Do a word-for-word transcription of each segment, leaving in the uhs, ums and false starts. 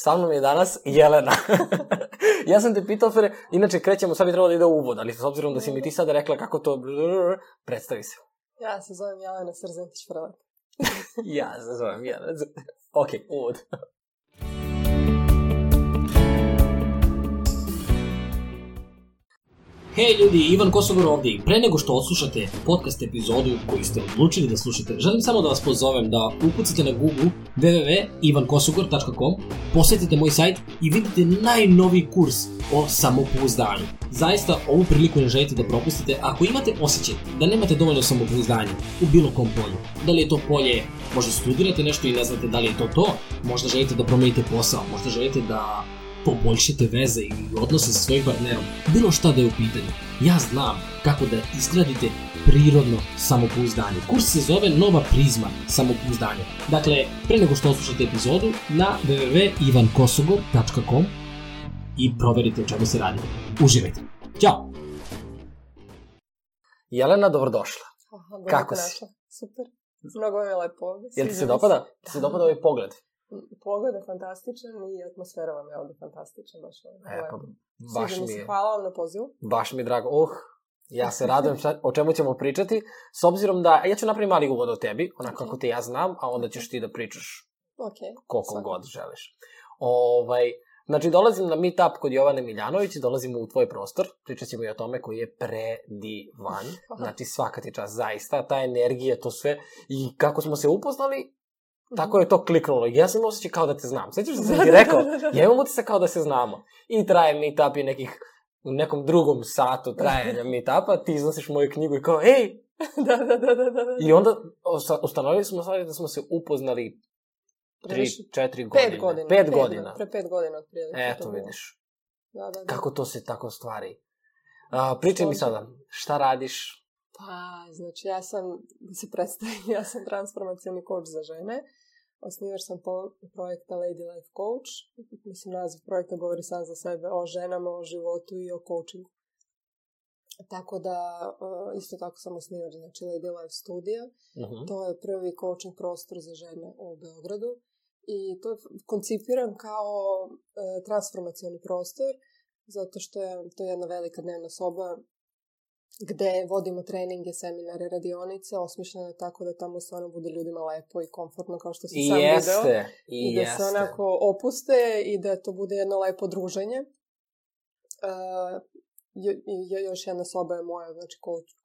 Sa mnom je danas Jelena. Ja sam te pitao, Fere, inače krećemo, sad bi trebalo da ide u uvod, ali s obzirom da si mi ti sada rekla kako to... Predstavi se. Ja se zovem Jelena Srzentić-Frlep. Ja se zovem Jelena. Ok, uvod. Hej ljudi, Ivan Kosogor ovdje i pre nego što odslušate podcast epizodu koju ste odlučili da slušate, želim samo da vas pozovem da ukucate na Google w w w tačka ivan kosogor tačka com, posjetite moj sajt i vidite najnoviji kurs o samopouzdanju. Zaista ovu priliku ne želite da propustite ako imate osjećaj da nemate dovoljno samopouzdanja u bilo kom polju. Da li je to polje, možda studirate nešto i ne znate da li je to to, možda želite da promenite posao, možda želite da poboljšate veze i odnose sa svojim partnerom, bilo šta da je u pitanju. Ja znam kako da izgradite prirodno samopouzdanje. Kurs se zove Nova prizma samopouzdanja. Dakle, pre nego što odslušate epizodu, na w w w tačka ivan kosogor tačka com i proverite o čemu se radi. Uživajte. Ćao! Jelena, dobrodošla. Aha, kako si? Super. Mnogo je lepo. Jel ti se dopada? Ti se dopada ovaj pogled? Pogled je fantastičan i atmosfera vam je ovdje fantastična. Baš je e, pa, baš mi je. Hvala vam na pozivu. Baš mi je drago. Uh, ja se radujem šta, o čemu ćemo pričati. S obzirom da, ja ću napraviti mali uvod o tebi, onako okay. Kako te ja znam, a onda ćeš ti da pričaš okay. koliko Svaki. god želiš. Ovaj, znači, dolazim na meetup kod Jovane Miljanović i dolazim u tvoj prostor. Pričat ćemo i o tome koji je predivan. Znači, svaka ti čast, zaista. Ta energija, to sve. I kako smo se upoznali, tako je to kliknulo. Ja sam osjećaj kao da te znam. Sjećaš da sam ti rekao? Ja imam utisak kao da se znamo. I traje meetup i nekih, u nekom drugom satu trajanja meetupa, ti iznosiš moju knjigu i kao, ej! da, da, da, da, da. I onda ustanovili smo stvari da smo se upoznali tri, četiri godine. Pet godina. Pet godina. Pre pet godina otprilike. Eto, vidiš. Da, da, da. Kako to se tako stvari. A, pričaj mi sada, šta radiš? Pa, znači, ja sam, da se predstavim, ja sam transformacioni coach za žene. Osnivač sam po projekta Lady Life Coach. Mislim, naziv projekta govori sam za sebe o ženama, o životu i o coachingu. Tako da, isto tako sam osnivač, znači Lady Life Studio. Uh-huh. To je prvi coaching prostor za žene u Beogradu. I to je koncipiran kao e, transformacioni prostor, zato što je to jedna velika dnevna soba gde vodimo treninge, seminare, radionice, osmišljene tako da tamo stvarno bude ljudima lepo i komfortno, kao što si I sam jeste, video. I, I da jeste. se onako opuste i da to bude jedno lepo druženje. Uh, jo, jo, još jedna soba je moja, znači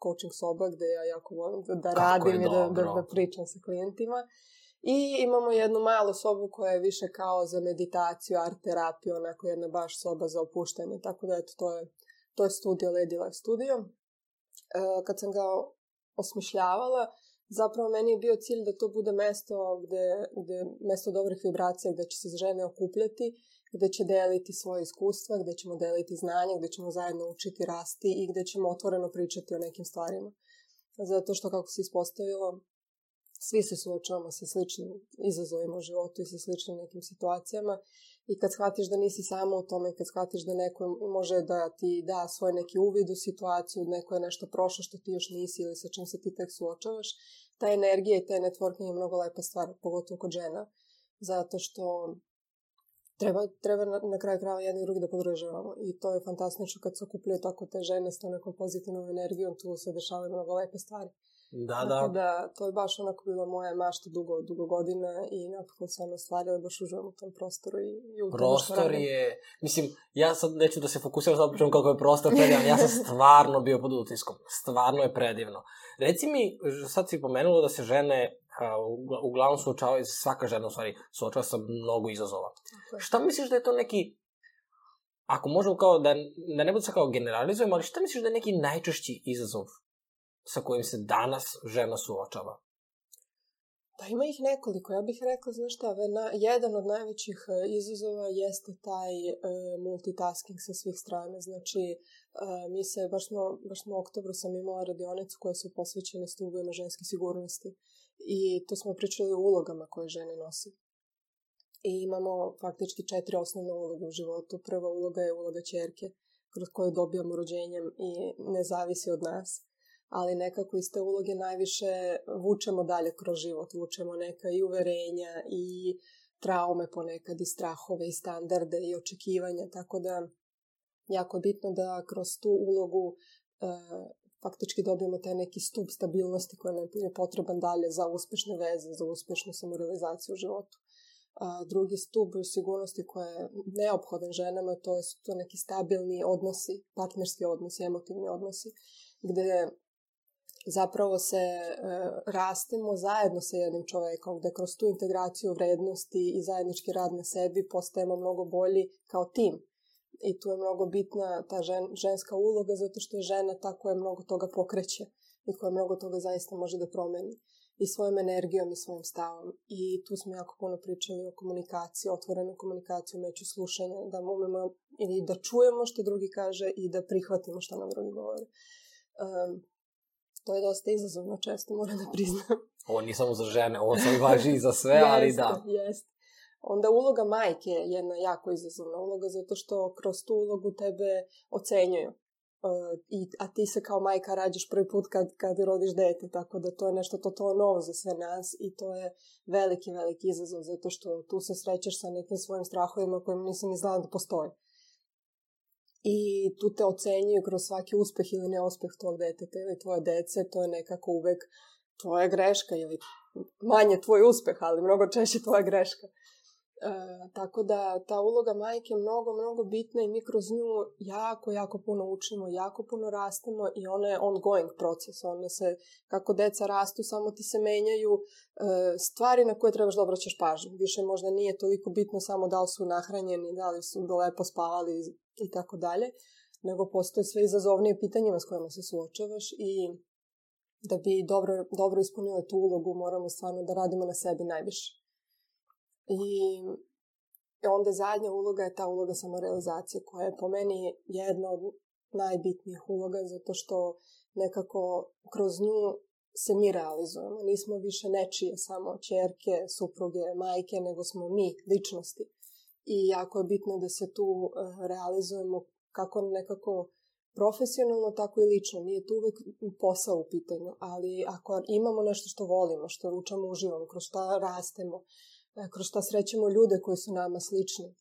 coaching soba, gde ja jako volim da, da radim i da, da, da pričam sa klijentima. I imamo jednu malu sobu koja je više kao za meditaciju, art terapiju, onako jedna baš soba za opuštanje. Tako da eto, to je, to je studio, Lady Life Studio. Kad sam ga osmišljavala, zapravo meni je bio cilj da to bude mesto gde, gde mesto dobrih vibracija, gde će se žene okupljati, gde će deliti svoje iskustva, gde ćemo deliti znanje, gde ćemo zajedno učiti, rasti i gde ćemo otvoreno pričati o nekim stvarima. Zato što, kako se ispostavilo, svi se suočavamo sa sličnim izazovima u životu i sa sličnim nekim situacijama. I kad shvatiš da nisi samo u tome, kad shvatiš da neko može da ti da svoj neki uvid u situaciju, neko je nešto prošlo što ti još nisi ili sa čim se ti tek suočavaš, ta energija i taj networking je mnogo lepa stvar, pogotovo kod žena. Zato što treba, treba na, na kraju krajeva jedni i drugi da podržavamo. I to je fantastično kad se okupljaju tako te žene s tom nekom pozitivnom energijom, tu se dešavaju mnogo lepe stvari. Da, da. da. To je baš onako bila moja mašta dugo, dugo godina i napokon se ono stvarila, baš uživam u tom prostoru i, i u tom prostor je, mislim, ja sad neću da se fokusiram, sad pričam kako je prostor predivan, ja sam stvarno bio pod utiskom, stvarno je predivno. Reci mi, sad si pomenulo da se žene uh, uglavnom suočavaju, svaka žena u stvari suočava sa mnogo izazova. Okay. Šta misliš da je to neki, ako možemo kao, da, da ne budu se kao generalizujemo, ali šta misliš da je neki najčešći izazov sa kojim se danas žena suočava? Pa ima ih nekoliko. Ja bih rekla, znaš šta, na, jedan od najvećih izazova jeste taj e, multitasking sa svih strana. Znači, e, mi se, baš smo, baš smo u oktobru sam imala radionicu koja su posvećene stubovima ženske sigurnosti. I to smo pričali o ulogama koje žene nose. I imamo faktički četiri osnovne uloge u životu. Prva uloga je uloga ćerke, kroz koju dobijamo rođenjem i ne zavisi od nas. Ali nekako iz te uloge najviše vučemo dalje kroz život. Vučemo neka i uverenja i traume ponekad i strahove i standarde i očekivanja, tako da jako je bitno da kroz tu ulogu e, faktički dobijemo taj neki stup stabilnosti koji nam je potreban dalje za uspešne veze, za uspešnu samorealizaciju u životu. A drugi stup sigurnosti koji je neophodan ženama, to su to neki stabilni odnosi, partnerski odnosi, emotivni odnosi, gde zapravo se e, rastemo zajedno sa jednim čovekom, gde kroz tu integraciju vrednosti i zajednički rad na sebi postajemo mnogo bolji kao tim. I tu je mnogo bitna ta žen, ženska uloga, zato što je žena ta koja mnogo toga pokreće i koja mnogo toga zaista može da promeni. I svojom energijom i svojim stavom. I tu smo jako puno pričali o komunikaciji, otvorenoj komunikaciji, umeću slušanja, da umemo i da čujemo što drugi kaže i da prihvatimo što nam drugi govore. Um, to je dosta izazovno često, moram da priznam. Ovo nije samo za žene, ovo sam važi i za sve, ali jeste, da. Jeste. Onda uloga majke je jedna jako izazovna uloga, zato što kroz tu ulogu tebe ocenjuju. Uh, i, a ti se kao majka rađaš prvi put kad, kad rodiš dete, tako da to je nešto totalno novo za sve nas i to je veliki, veliki izazov, zato što tu se srećeš sa nekim svojim strahovima kojim nisam ni znala da postoje. I tu te ocenjuju kroz svaki uspeh ili neuspeh tvojeg deteta ili tvoje dece, to je nekako uvek tvoja greška ili manje tvoj uspeh, ali mnogo češće tvoja greška. E, tako da ta uloga majke je mnogo, mnogo bitna i mi kroz nju jako, jako puno učimo, jako puno rastemo i ona je ongoing proces. Ona se, kako deca rastu, samo ti se menjaju e, stvari na koje trebaš da obraćaš pažnju. Više možda nije toliko bitno samo da li su nahranjeni, da li su lepo spavali i tako dalje, nego postoje sve izazovnije pitanjima s kojima se suočavaš i da bi dobro, dobro ispunile tu ulogu moramo stvarno da radimo na sebi najviše. I onda zadnja uloga je ta uloga samorealizacije koja je po meni jedna od najbitnijih uloga zato što nekako kroz nju se mi realizujemo. Nismo više nečije samo ćerke, supruge, majke, nego smo mi, ličnosti. I jako je bitno da se tu realizujemo kako nekako profesionalno, tako i lično. Nije tu uvek posao u pitanju, ali ako imamo nešto što volimo, što učamo, uživamo, kroz šta rastemo, kroz šta srećemo ljude koji su nama slični,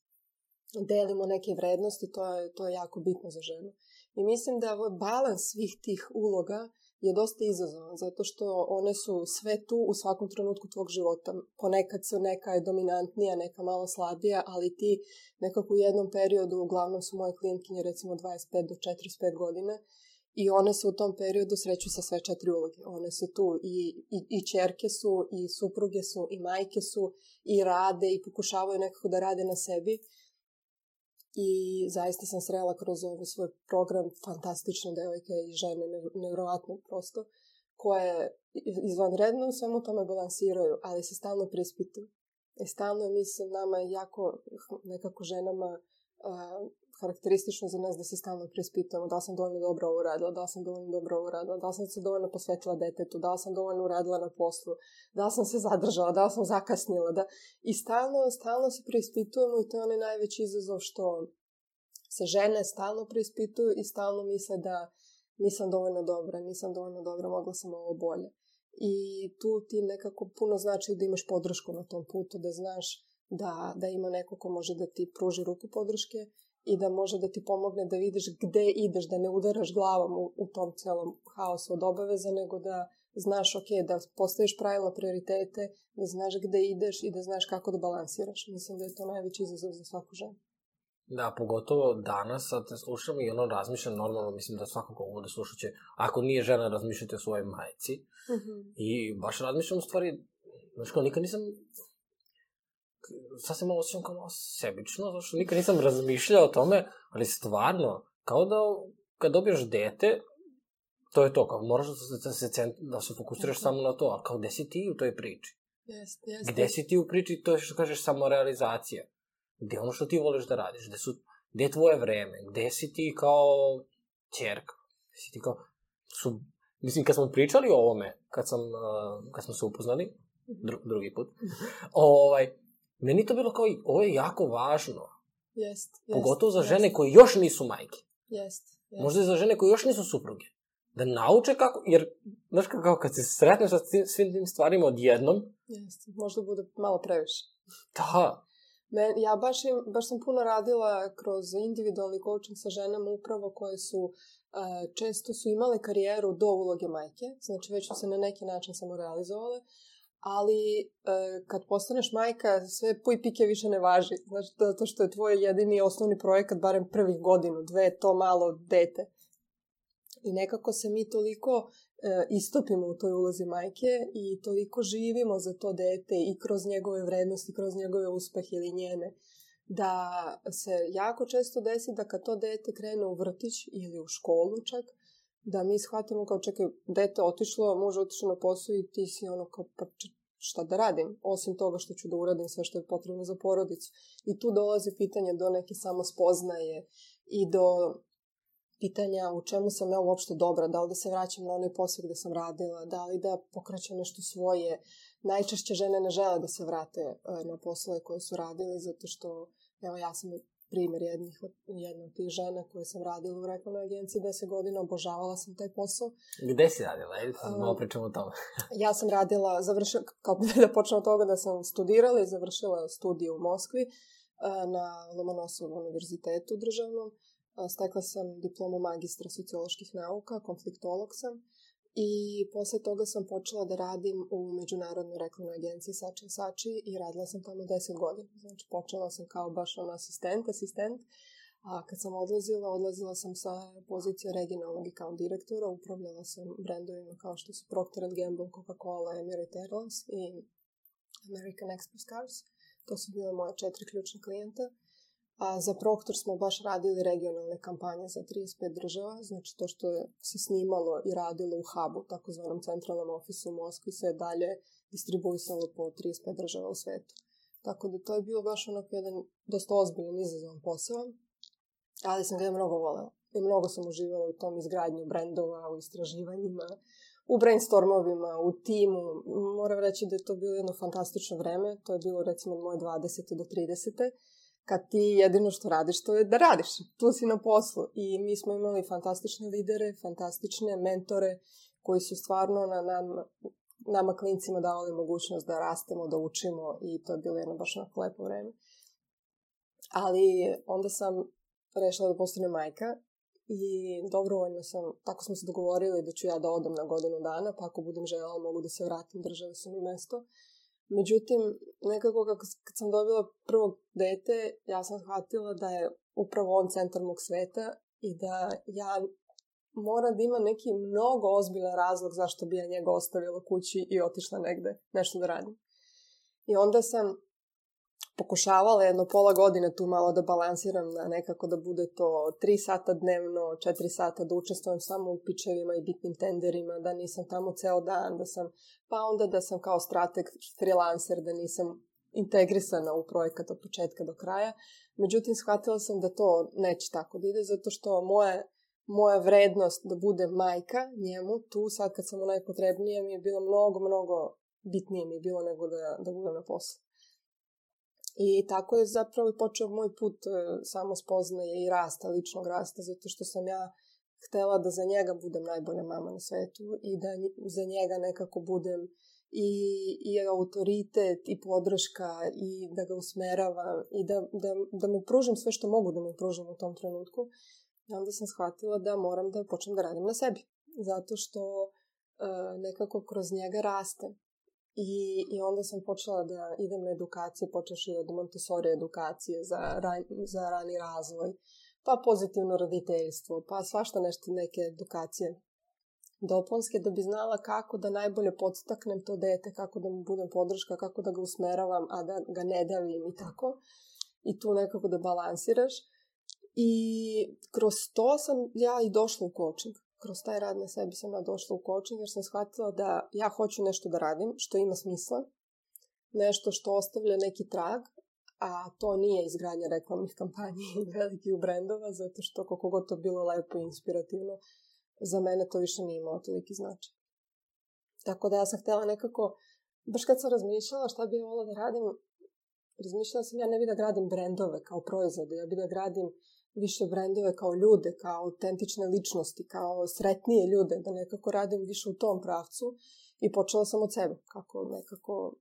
delimo neke vrednosti, to je, to je jako bitno za ženu. I mislim da ovaj balans svih tih uloga je dosta izazovan, zato što one su sve tu u svakom trenutku tvog života. Ponekad su neka je dominantnija, neka malo slabija, ali ti nekako u jednom periodu, uglavnom su moje klijentkinje recimo dvadeset pet do četrdeset pet godina, i one se u tom periodu sreću sa sve četiri uloge. One su tu i, i, i ćerke su, i supruge su, i majke su, i rade, i pokušavaju nekako da rade na sebi. I zaista sam srela kroz ovaj svoj program fantastične devojke i žene, nevjerovatno prosto, koje izvanredno u svemu tome balansiraju, ali se stalno preispituju. I stalno mislim nama jako, nekako ženama, uh, karakteristično za nas da se stalno preispitujemo da li sam dovoljno dobro ovo uradila, da li sam dovoljno dobro ovo uradila, da li sam se dovoljno posvetila detetu, da li sam dovoljno uradila na poslu, da li sam se zadržala, da li sam zakasnila. Da... I stalno, stalno se preispitujemo i to je onaj najveći izazov što se žene stalno preispituju i stalno misle da nisam dovoljno dobra, nisam dovoljno dobra, mogla sam ovo bolje. I tu ti nekako puno znači da imaš podršku na tom putu, da znaš da, da ima neko ko može da ti pruži ruku podrške i da može da ti pomogne da vidiš gde ideš, da ne udaraš glavom u, u tom celom haosu od obaveza, nego da znaš, ok, da postaviš pravilno prioritete, da znaš gde ideš i da znaš kako da balansiraš. Mislim da je to najveći izazov za svaku ženu. Da, pogotovo danas, sad te slušam i ono razmišljam normalno, mislim da svakako ovo da slušat će, ako nije žena, razmišljati o svojoj majci. Mm-hmm. I baš razmišljam u stvari, znaš kao, nikad nisam, sad se malo osjećam kao malo sebično, zato što nikad nisam razmišljao o tome, ali stvarno, kao da kad dobiješ dete, to je to, kao moraš da se, cent, da se fokusiraš mm-hmm. samo na to, ali kao gde si ti u toj priči? Jest, jest. Gde si ti u priči, to je što kažeš samorealizacija? Gde ono što ti voliš da radiš? Gde, su, gde je tvoje vreme? Gde si ti kao ćerka? Gde si ti kao... Su, mislim, kad smo pričali o ovome, kad, sam, uh, kad smo se upoznali, dru, drugi put, ovaj, meni to bilo kao, ovo je jako važno. Jest, jest. Pogotovo za jest. žene koji još nisu majke. Jest, jest. Možda i za žene koji još nisu supruge. Da nauče kako, jer, znaš kako, kad se sretneš sa svim tim stvarima odjednom, jest, možda bude malo previše. Da. Men, ja baš, im, baš sam puno radila kroz individualni coaching sa ženama upravo koje su, uh, često su imale karijeru do uloge majke, znači već su se na neki način samorealizovale, ali uh, kad postaneš majka, sve puj pike više ne važi, znači to što je tvoj jedini osnovni projekat, barem prvih godinu, dve, to malo dete. I nekako se mi toliko e, istopimo u toj ulozi majke i toliko živimo za to dete i kroz njegove vrednosti, kroz njegove uspehe ili njene, da se jako često desi da kad to dete krene u vrtić ili u školu čak, da mi shvatimo kao čekaj, dete otišlo, muž otišao na posao i ti si ono kao pa šta da radim, osim toga što ću da uradim sve što je potrebno za porodicu. I tu dolazi pitanje do neke samospoznaje i do pitanja u čemu sam ja uopšte dobra, da li da se vraćam na onaj posao gde sam radila, da li da pokrećem nešto svoje. Najčešće žene ne žele da se vrate na poslove koje su radili, zato što, evo ja sam primjer jednih, jedna od tih žena koje sam radila u reklamnoj agenciji deset godina, obožavala sam taj posao. Gde si radila? Ajde, malo pričamo o tome. Ja sam radila, završila, kao da počnem od toga da sam studirala i završila studiju u Moskvi na Lomonosovom univerzitetu državnom. Stekla sam diplomu magistra socioloških nauka, konfliktolog sam i posle toga sam počela da radim u međunarodnoj reklamnoj agenciji Sači and Sači i radila sam tamo deset godina. Znači počela sam kao baš ono asistent, asistent, a kad sam odlazila, odlazila sam sa pozicije regionalnog account direktora, upravljala sam brendovima kao što su Procter and Gamble, Coca-Cola, Emirates Airlines i American Express Cars. To su bile moje četiri ključne klijenta. A za Procter smo baš radili regionalne kampanje za trideset pet država, znači to što je se snimalo i radilo u hubu, takozvanom centralnom ofisu u Moskvi, se je dalje distribuisalo po trideset pet država u svetu. Tako da to je bilo baš onako jedan dosta ozbiljan izazovan posao, ali sam ga je mnogo volela. I mnogo sam uživala u tom izgradnju brendova, u istraživanjima, u brainstormovima, u timu. Moram reći da je to bilo jedno fantastično vreme, to je bilo recimo od moje dvadesete do tridesete kad ti jedino što radiš, to je da radiš. Tu si na poslu. I mi smo imali fantastične lidere, fantastične mentore koji su stvarno na nam, nama klincima davali mogućnost da rastemo, da učimo i to je bilo jedno baš onako lepo vreme. Ali onda sam rešila da postanem majka i dobrovoljno sam, tako smo se dogovorili da ću ja da odem na godinu dana, pa ako budem željela mogu da se vratim, držali su mi mesto. Međutim, nekako kako, kad sam dobila prvog dete, ja sam shvatila da je upravo on centar mog sveta i da ja moram da imam neki mnogo ozbiljan razlog zašto bi ja njega ostavila kući i otišla negde nešto da radim. I onda sam pokušavala jedno pola godine tu malo da balansiram na nekako da bude to tri sata dnevno, četiri sata da učestvujem samo u pičevima i bitnim tenderima, da nisam tamo ceo dan, da sam, pa onda da sam kao strateg freelancer, da nisam integrisana u projekat od početka do kraja. Međutim, shvatila sam da to neće tako da ide, zato što moje, moja vrednost da budem majka njemu, tu sad kad sam u najpotrebnije, mi je bilo mnogo, mnogo bitnije mi je bilo nego da, da budem na poslu. I tako je zapravo počeo moj put e, samospoznaje i rasta, ličnog rasta, zato što sam ja htela da za njega budem najbolja mama na svetu i da za njega nekako budem i, i autoritet i podrška i da ga usmeravam i da, da, da mu pružim sve što mogu da mu pružim u tom trenutku. I onda sam shvatila da moram da počnem da radim na sebi, zato što e, nekako kroz njega rastem. I, I onda sam počela da idem na edukacije, počeši od Montessori edukacije za, ran, za rani razvoj, pa pozitivno roditeljstvo, pa svašta nešto, neke edukacije dopunske, da bi znala kako da najbolje podstaknem to dete, kako da mu budem podrška, kako da ga usmeravam, a da ga ne davim i tako. I tu nekako da balansiraš. I kroz to sam ja i došla u coaching. Kroz taj rad na sebi sam ja došla u coaching jer sam shvatila da ja hoću nešto da radim što ima smisla, nešto što ostavlja neki trag, a to nije izgradnja reklamnih kampanja i velikih brendova, zato što koliko god to bilo lepo i inspirativno, za mene to više nije imalo toliki značaj. Tako da ja sam htjela nekako, baš kad sam razmišljala šta bi volila da radim, razmišljala sam ja ne bi da gradim brendove kao proizvode, ja bi da gradim više brendove kao ljude, kao autentične ličnosti, kao sretnije ljude, da nekako radim više u tom pravcu i počela sam od sebe, kako nekako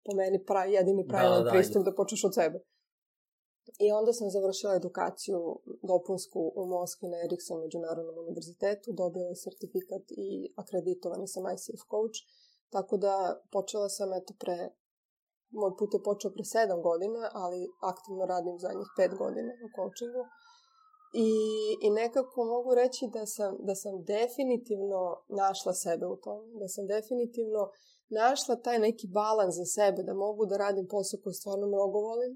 po meni pra, jedini pravilan da, da, pristup da, da počneš od sebe. I onda sam završila edukaciju dopunsku u Moskvi na Ericsson međunarodnom univerzitetu, dobila sertifikat i akreditovani sam I C F coach, tako da počela sam eto pre, moj put je počeo pre sedam godina, ali aktivno radim zadnjih pet godina u coachingu. I, i nekako mogu reći da sam, da sam definitivno našla sebe u tome, da sam definitivno našla taj neki balans za sebe, da mogu da radim posao koji stvarno mnogo volim,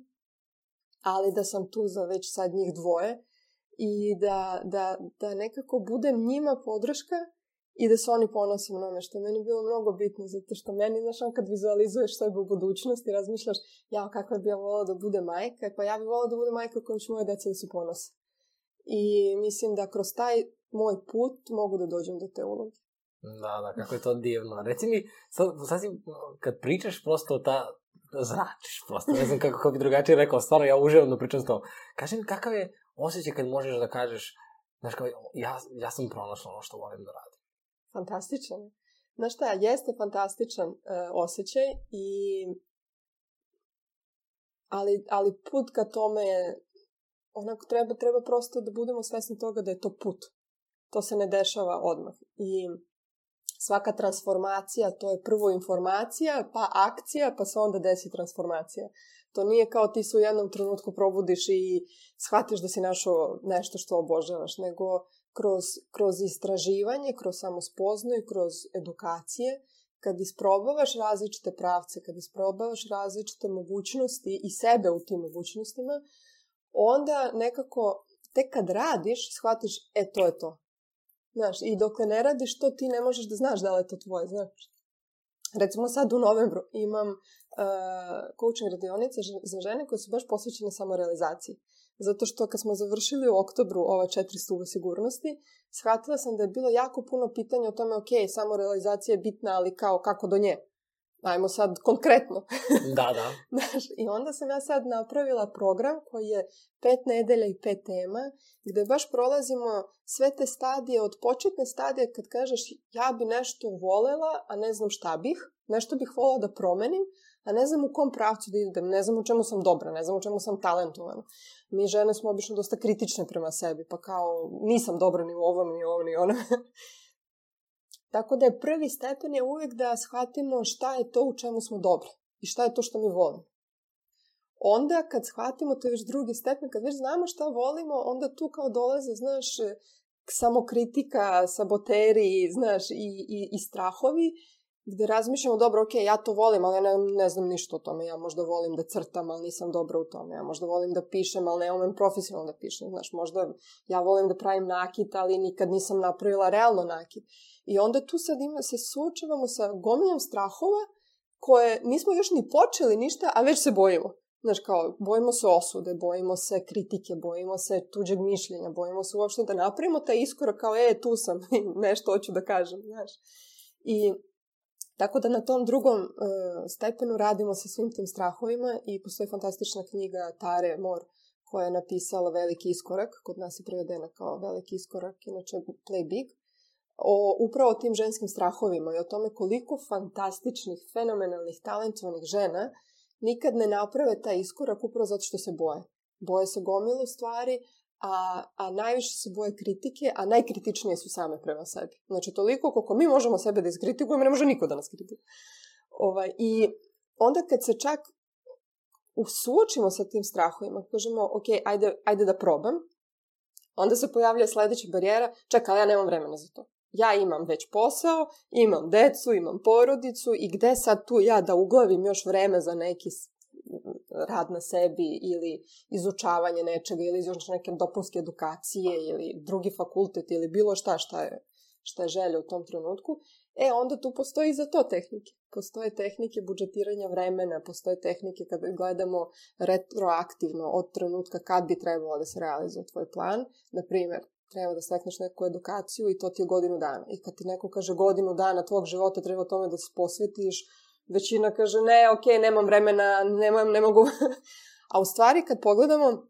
ali da sam tu za već sad njih dvoje i da, da, da nekako budem njima podrška i da se oni ponose mnome, što je meni bilo mnogo bitno, zato što meni, znaš, kad vizualizuješ sebe u budućnosti, razmišljaš, ja, kako bi ja volila da bude majka, pa ja bi volila da bude majka kojom će moje deca da se ponose. I mislim da kroz taj moj put mogu da dođem do te uloge. Da, da, kako je to divno. Reci mi, sad, sad si, kad pričaš prosto ta, zračiš prosto, ne znam kako, kako bi drugačije rekao, stvarno ja uživam da pričam s tobom. Kaži mi, kakav je osjećaj kad možeš da kažeš, znaš, kao, ja, ja sam pronašla ono što volim da radim. Fantastičan. Znaš šta, jeste fantastičan uh, osjećaj, i ali, ali put ka tome je, onako treba, treba prosto da budemo svesni toga da je to put. To se ne dešava odmah. I svaka transformacija, to je prvo informacija, pa akcija, pa se onda desi transformacija. To nije kao ti se u jednom trenutku probudiš i shvatiš da si našao nešto što obožavaš, nego kroz, kroz istraživanje, kroz samospoznaju, kroz edukacije, kad isprobavaš različite pravce, kad isprobavaš različite mogućnosti i sebe u tim mogućnostima, onda nekako, tek kad radiš, shvatiš, e, to je to. Znaš, i dok ne radiš to, ti ne možeš da znaš da li je to tvoje, znaš. Recimo sad u novembru imam uh, coaching radionice za žene koje su baš posvećene samorealizaciji. Zato što kad smo završili u oktobru ova četiri stuba sigurnosti, shvatila sam da je bilo jako puno pitanja o tome, ok, samorealizacija je bitna, ali kao kako do nje? Ajmo sad konkretno. Da, da. Znaš, i onda sam ja sad napravila program koji je pet nedelja i pet tema, gde baš prolazimo sve te stadije, od početne stadije kad kažeš ja bi nešto volela, a ne znam šta bih, nešto bih volela da promenim, a ne znam u kom pravcu da idem, ne znam u čemu sam dobra, ne znam u čemu sam talentovana. Mi žene smo obično dosta kritične prema sebi, pa kao nisam dobra ni u ovom, ni u ovom, ni u onom. Tako da je prvi stepen je uvijek da shvatimo šta je to u čemu smo dobri i šta je to što mi volimo. Onda kad shvatimo, to je već drugi stepen, kad već znamo šta volimo, onda tu kao dolaze, znaš, samokritika, saboteri, znaš, i, i, i strahovi, gde razmišljamo, dobro, ok, ja to volim, ali ja ne, ne znam ništa o tome. Ja možda volim da crtam, ali nisam dobra u tome. Ja možda volim da pišem, ali ne umem profesionalno da pišem. Znaš, možda ja volim da pravim nakit, ali nikad nisam napravila realno nakit. I onda tu sad ima, se suočavamo sa gomilom strahova koje nismo još ni počeli ništa, a već se bojimo. Znaš, kao, bojimo se osude, bojimo se kritike, bojimo se tuđeg mišljenja, bojimo se uopšte da napravimo taj iskorak kao, e, tu sam, nešto hoću da kažem, znaš. I tako da na tom drugom uh, stepenu radimo sa svim tim strahovima i postoji fantastična knjiga Tare Moore koja je napisala Veliki iskorak, kod nas je prevedena kao Veliki iskorak, inače Play Big, o upravo tim ženskim strahovima i o tome koliko fantastičnih, fenomenalnih, talentovanih žena nikad ne naprave taj iskorak upravo zato što se boje. Boje se gomilu stvari, a, a najviše se boje kritike, a najkritičnije su same prema sebi. Znači, toliko koliko mi možemo sebe da iskritikujemo, ne može niko da nas kritikuje. Ovaj, I onda kad se čak suočimo sa tim strahovima, kažemo, ok, ajde, ajde da probam, onda se pojavlja sledeća barijera, čekaj, ali ja nemam vremena za to. Ja imam već posao, imam decu, imam porodicu i gde sad tu ja da uglavim još vreme za neki rad na sebi ili izučavanje nečega ili još neke dopunske edukacije ili drugi fakultet ili bilo šta šta je, šta je želja u tom trenutku. E, onda tu postoji i za to tehnike. Postoje tehnike budžetiranja vremena, postoje tehnike kad gledamo retroaktivno od trenutka kad bi trebalo da se realizuje tvoj plan. Na primjer, treba da stekneš neku edukaciju i to ti je godinu dana. I kad ti neko kaže godinu dana tvog života treba tome da se posvetiš, većina kaže ne, ok, nemam vremena, nemam, ne mogu. A u stvari kad pogledamo,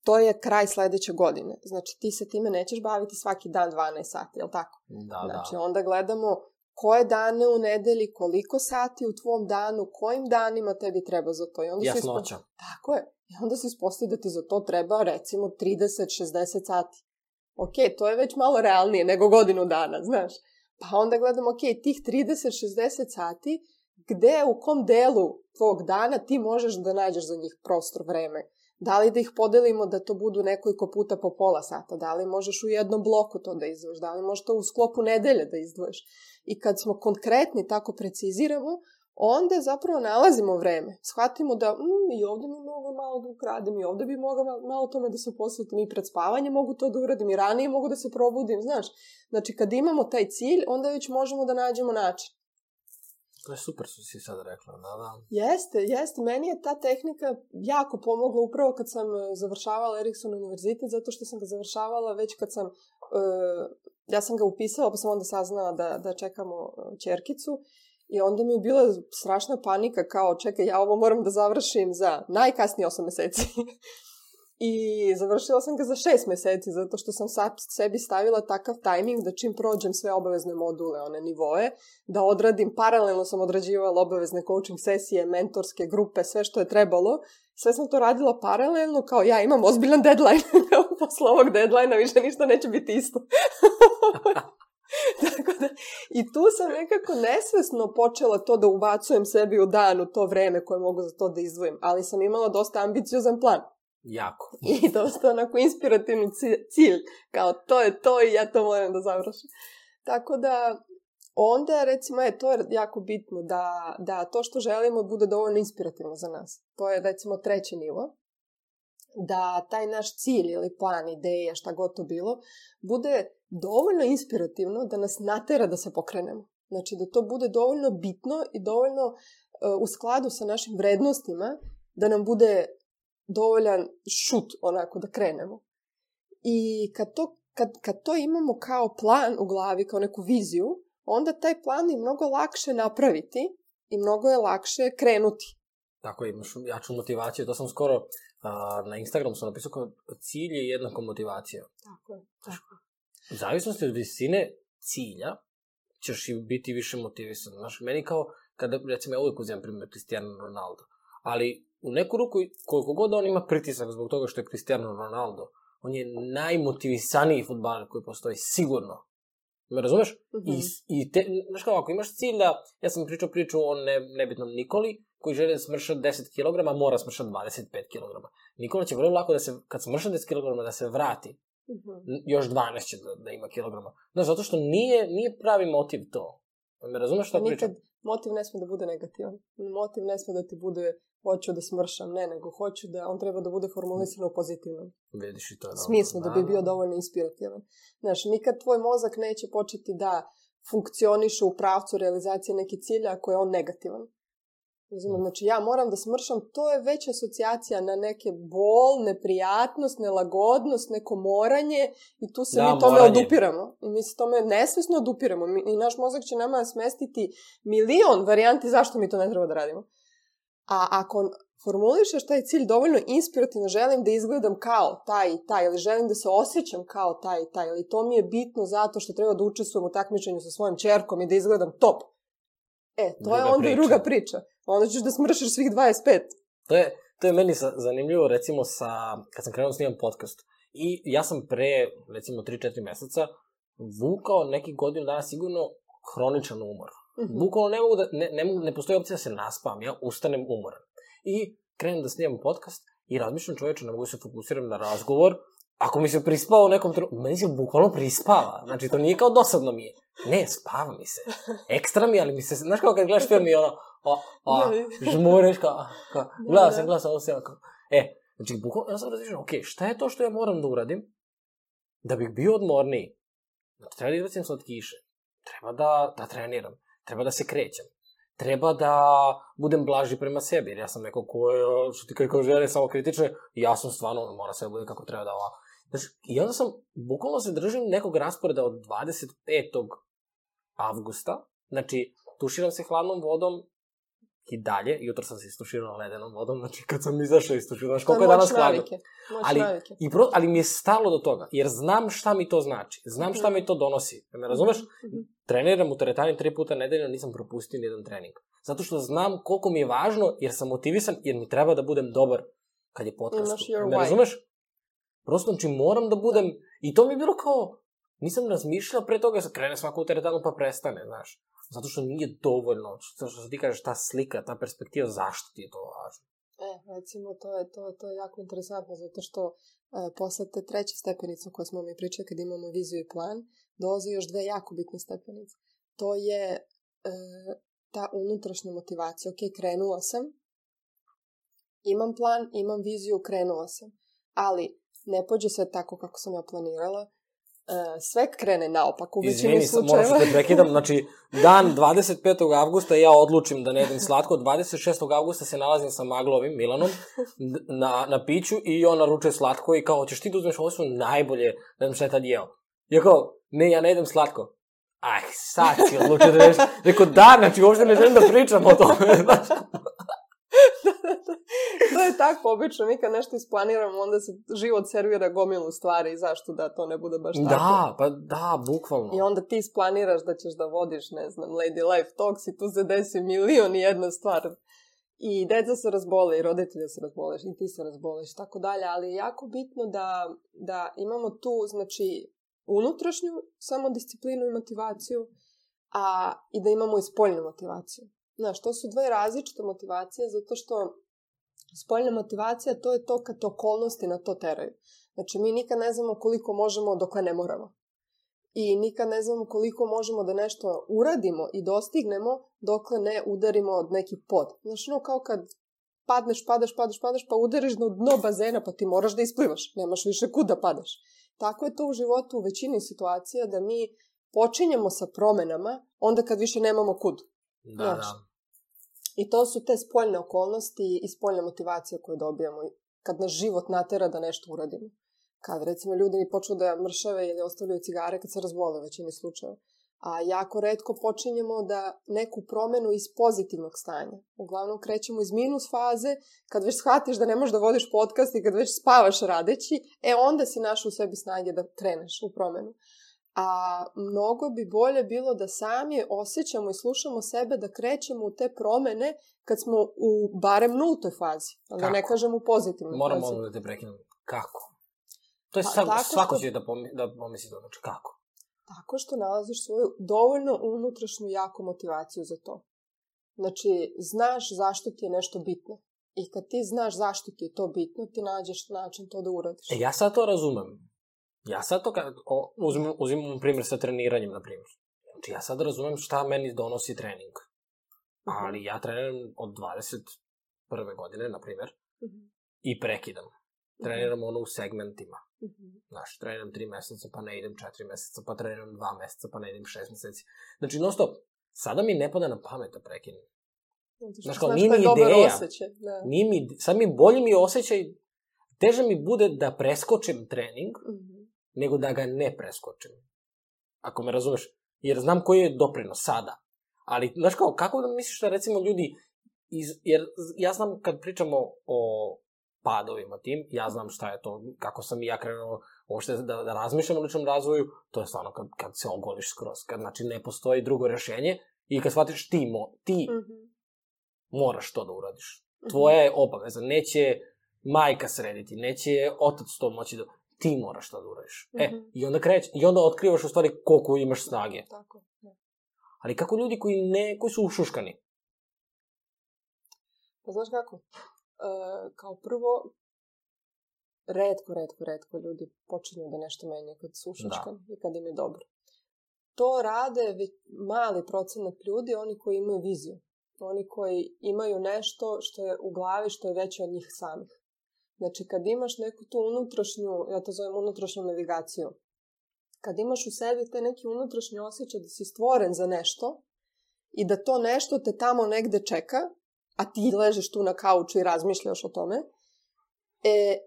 to je kraj sledeće godine. Znači ti se time nećeš baviti svaki dan dvanaest sati, je li tako? Da, znači da. onda gledamo koje dane u nedelji, koliko sati u tvom danu, kojim danima tebi treba za to. I onda jasnoća. Ispo... Tako je. I onda se ispostavi da ti za to treba recimo trideset do šezdeset sati. Ok, to je već malo realnije nego godinu dana, znaš. Pa onda gledamo, ok, tih trideset do šezdeset sati, gde, u kom delu tvog dana ti možeš da nađeš za njih prostor, vreme. Da li da ih podelimo da to budu nekoliko puta po pola sata, da li možeš u jednom bloku to da izdvojiš, da li možeš to u sklopu nedelje da izdvojiš. I kad smo konkretni, tako preciziramo, onda zapravo nalazimo vreme. Shvatimo da mm, i ovdje mi mogu malo da ukradim, i ovdje bi mogla malo tome da se posvetim, i pred spavanje mogu to da uradim, i ranije mogu da se probudim, znaš. Znači, kad imamo taj cilj, onda već možemo da nađemo način. To je super što si sad rekla, da, da. Jeste, jeste. Meni je ta tehnika jako pomogla upravo kad sam završavala Erikson univerzitet, zato što sam ga završavala već kad sam, uh, ja sam ga upisala, pa sam onda saznala da, da čekamo ćerkicu. I onda mi je bila strašna panika, kao čekaj, ja ovo moram da završim za najkasnije osam meseci. I završila sam ga za šest meseci, zato što sam sad sebi stavila takav tajming da čim prođem sve obavezne module, one nivoe, da odradim, paralelno sam odrađivala obavezne coaching sesije, mentorske grupe, sve što je trebalo. Sve sam to radila paralelno, kao ja imam ozbiljan deadline, posle ovog deadline-a više ništa neće biti isto. Tako da, i tu sam nekako nesvesno počela to da ubacujem sebi u dan, u to vreme koje mogu za to da izdvojim, ali sam imala dosta ambiciozan plan. Jako. I dosta onako inspirativni cilj, kao to je to i ja to moram da završim. Tako da, onda recimo, je, to je jako bitno, da, da to što želimo bude dovoljno inspirativno za nas. To je recimo treći nivo. Da taj naš cilj ili plan, ideja, šta god to bilo, bude dovoljno inspirativno da nas natera da se pokrenemo. Znači da to bude dovoljno bitno i dovoljno uh, u skladu sa našim vrednostima, da nam bude dovoljan šut onako da krenemo. I kad to, kad, kad to imamo kao plan u glavi, kao neku viziju, onda taj plan je mnogo lakše napraviti i mnogo je lakše krenuti. Tako, imaš jaču motivaciju. To sam skoro uh, na Instagramu sam napisao kao cilj je jednako motivacija. Tako je, tako. U zavisnosti od visine cilja ćeš i biti više motivisan. Znaš, meni kao, kada, recimo, ja uvijek uzimam primjer Cristiano Ronaldo, ali u neku ruku, koliko god on ima pritisak zbog toga što je Cristiano Ronaldo, on je najmotivisaniji fudbaler koji postoji, sigurno. Me razumeš? Mm-hmm. I, i te, znaš kao, ako imaš cilj da, ja sam pričao priču o ne, nebitnom Nikoli, koji želi da smrša deset kilograma, mora smršati dvadeset pet kilograma. Nikola će vrlo lako da se, kad smrša deset kilograma, da se vrati. Mm-hmm. Još dvanaest će da, da ima kilograma. Znaš, zato što nije, nije pravi motiv to. Me razumeš što pričam? Nikad motiv ne smije da bude negativan. Motiv ne smije da ti bude hoću da smršam, ne, nego hoću da on treba da bude formulisano u pozitivnom Vidiš i to je smislu, da, da bi bio dovoljno inspirativan. Znaš, nikad tvoj mozak neće početi da funkcioniše u pravcu realizacije neke cilja ako je on negativan. Razumem, znači ja moram da smršam, to je već asocijacija na neke bol, neprijatnost, nelagodnost, neko moranje i tu se da, mi tome moranje. odupiramo. I mi se tome nesvesno odupiramo. Mi, i naš mozak će nama smestiti milion varijanti zašto mi to ne treba da radimo. A ako formulišeš taj cilj dovoljno inspirativno, želim da izgledam kao taj i taj, ili želim da se osjećam kao taj i taj, ili to mi je bitno zato što treba da učestvujem u takmičenju sa svojom ćerkom i da izgledam top. E, to druga je onda priča. druga priča. Onda ćeš da smršiš svih dvadeset pet. To je, to je meni zanimljivo, recimo, sa, kad sam krenuo snimam podcast. I ja sam pre, recimo, tri četiri meseca vukao neki godinu dana sigurno hroničan umor. Mm-hmm. Bukvalno ne mogu da, ne, ne, mogu, ne postoji opcija da se naspavam, ja ustanem umoran. I krenem da snimam podcast i razmišljam čoveče, ne mogu se fokusiram na razgovor. Ako mi se prispava u nekom trenutku, meni se bukvalno prispava. Znači, to nije kao dosadno mi je. Ne, spava mi se. Ekstra mi, ali mi se, znaš kao kad gledaš film i ono, o, o, žmuriš kao, kao, gledao sam, gledao sam, ovo se kao. E, znači, bukvalno, ja sam razmišljam, ok, šta je to što ja moram da uradim da bih bio odmorniji? Znači, treba da izbacim slatkiše. Treba da, da treniram. Treba da se krećem. Treba da budem blaži prema sebi, jer ja sam neko ko je, što ti kako žele, samo kritične, i ja sam stvarno, mora se da bude kako treba da ova. Znači, i onda sam, bukvalno se držim nekog rasporeda od dvadeset petog avgusta, znači, tuširam se hladnom vodom i dalje, jutro sam se istuširao ledenom vodom, znači kad sam izašao istuširao, znaš koliko je danas hladno. Ali, i pro, ali mi je stalo do toga, jer znam šta mi to znači, znam šta mi to donosi. Me razumeš? Mm-hmm. Treniram u teretani tri puta nedeljno, nisam propustio nijedan trening. Zato što znam koliko mi je važno, jer sam motivisan, jer mi treba da budem dobar kad je podcast. Me razumeš? Prosto, znači moram da budem, i to mi je bilo kao, nisam razmišljao pre toga, krene svako u teretanu pa prestane, znaš. Zato što nije dovoljno, zato što ti kažeš ta slika, ta perspektiva, zašto ti je to važno? E, recimo, to je, to, to je jako interesantno, zato što e, posle te treće stepenice o kojoj smo mi pričali kad imamo viziju i plan, dolaze još dve jako bitne stepenice. To je e, ta unutrašnja motivacija. Ok, krenula sam, imam plan, imam viziju, krenula sam, ali ne pođe sve tako kako sam ja planirala, Uh, sve krene naopak u većini slučajeva. Izvini, moram što te prekidam. Znači, dan dvadeset petog avgusta ja odlučim da ne jedem slatko. dvadeset šestog avgusta se nalazim sa Maglovim, Milanom, na, na piću i on naručuje slatko i kao, hoćeš ti da uzmeš, ovo su najbolje, ne znam šta je tad jeo. Ja kao, ne, ja ne jedem slatko. Aj, sad si odlučio da neš. Rekao, da, znači, uopšte ne želim da pričam o tome. To je tako obično, mi kad nešto isplaniramo, onda se život servira gomilu stvari i zašto da to ne bude baš tako. Da, pa da, bukvalno. I onda ti isplaniraš da ćeš da vodiš, ne znam, Lady Life Talks i tu se desi milion i jedna stvar. I deca se razbole, i roditelja se razboleš, i ti se razboleš, i tako dalje, ali je jako bitno da, da imamo tu, znači, unutrašnju samodisciplinu i motivaciju, a i da imamo i spoljnu motivaciju. Znaš, to su dve različite motivacije, zato što spoljna motivacija, to je to kad te okolnosti na to teraju. Znači, mi nikad ne znamo koliko možemo dokle ne moramo. I nikad ne znamo koliko možemo da nešto uradimo i dostignemo dokle ne udarimo od neki pod. Znači, ono kao kad padneš, padaš, padaš, padaš, pa udariš na dno bazena, pa ti moraš da isplivaš. Nemaš više kud da padaš. Tako je to u životu u većini situacija da mi počinjemo sa promenama onda kad više nemamo kud. Da, znači, da. I to su te spoljne okolnosti i spoljna motivacija koju dobijamo kad nas život natera da nešto uradimo. Kad, recimo, ljudi počnu da mršave ili ostavljaju cigare kad se razbole u većini slučajeva. A jako retko počinjemo da neku promenu iz pozitivnog stanja. Uglavnom krećemo iz minus faze, kad već shvatiš da ne možeš da vodiš podcast i kad već spavaš radeći, e onda si našao u sebi snage da kreneš u promenu. A mnogo bi bolje bilo da sami osjećamo i slušamo sebe da krećemo u te promene kad smo u barem nultoj fazi. Da ne kažem u pozitivnoj Moram fazi. Moram ono da te prekinem. Kako? To je pa, sam, svako će što... da, pomi, da pomisli to. Znači, kako? Tako što nalaziš svoju dovoljno unutrašnju jaku motivaciju za to. Znači, znaš zašto ti je nešto bitno. I kad ti znaš zašto ti je to bitno, ti nađeš način to da uradiš. E, ja sad to razumem. Ja sad to, kad, o, uzimam, uzimam primjer sa treniranjem, na primjer. Znači, ja sad razumem šta meni donosi trening. Uh-huh. Ali ja treniram od dvadeset prve godine, na primjer, uh-huh. i prekidam. Treniram uh-huh. ono u segmentima. Uh-huh. Znaš, treniram tri meseca, pa ne idem četiri meseca, pa treniram dva meseca, pa ne idem šest meseci. Znači, non stop, sada mi ne pada na pamet da prekinem. Znaš, kao, nije mi ideja. Da. Nije mi, sad mi bolji mi osjećaj, teže mi bude da preskočim trening, uh-huh. nego da ga ne preskočim. Ako me razumeš. Jer znam koji je doprinos sada. Ali, znaš kao, kako da misliš da recimo ljudi, iz, jer ja znam kad pričamo o padovima tim, ja znam šta je to, kako sam i ja krenuo uopšte da, da razmišljam o ličnom razvoju, to je stvarno kad, kad se ogoliš skroz, kad znači ne postoji drugo rešenje i kad shvatiš ti, mo, ti mm-hmm. moraš to da uradiš. Tvoja je obaveza, neće majka srediti, neće otac to moći da... Ti moraš to da uradiš. Mm-hmm. E, i onda kreć, i onda otkrivaš u stvari koliko imaš snage. Tako, ne. Ali kako ljudi koji ne, koji su ušuškani? Pa znaš kako? E, kao prvo, retko, retko, retko ljudi počinju da nešto menjaju kad su ušuškani i kad im je dobro. To rade mali procenat ljudi, oni koji imaju viziju. Oni koji imaju nešto što je u glavi, što je veće od njih samih. Znači, kad imaš neku tu unutrašnju, ja to zovem unutrašnju navigaciju, kad imaš u sebi te neki unutrašnji osjećaj da si stvoren za nešto i da to nešto te tamo negde čeka, a ti ležiš tu na kauču i razmišljaš o tome, e,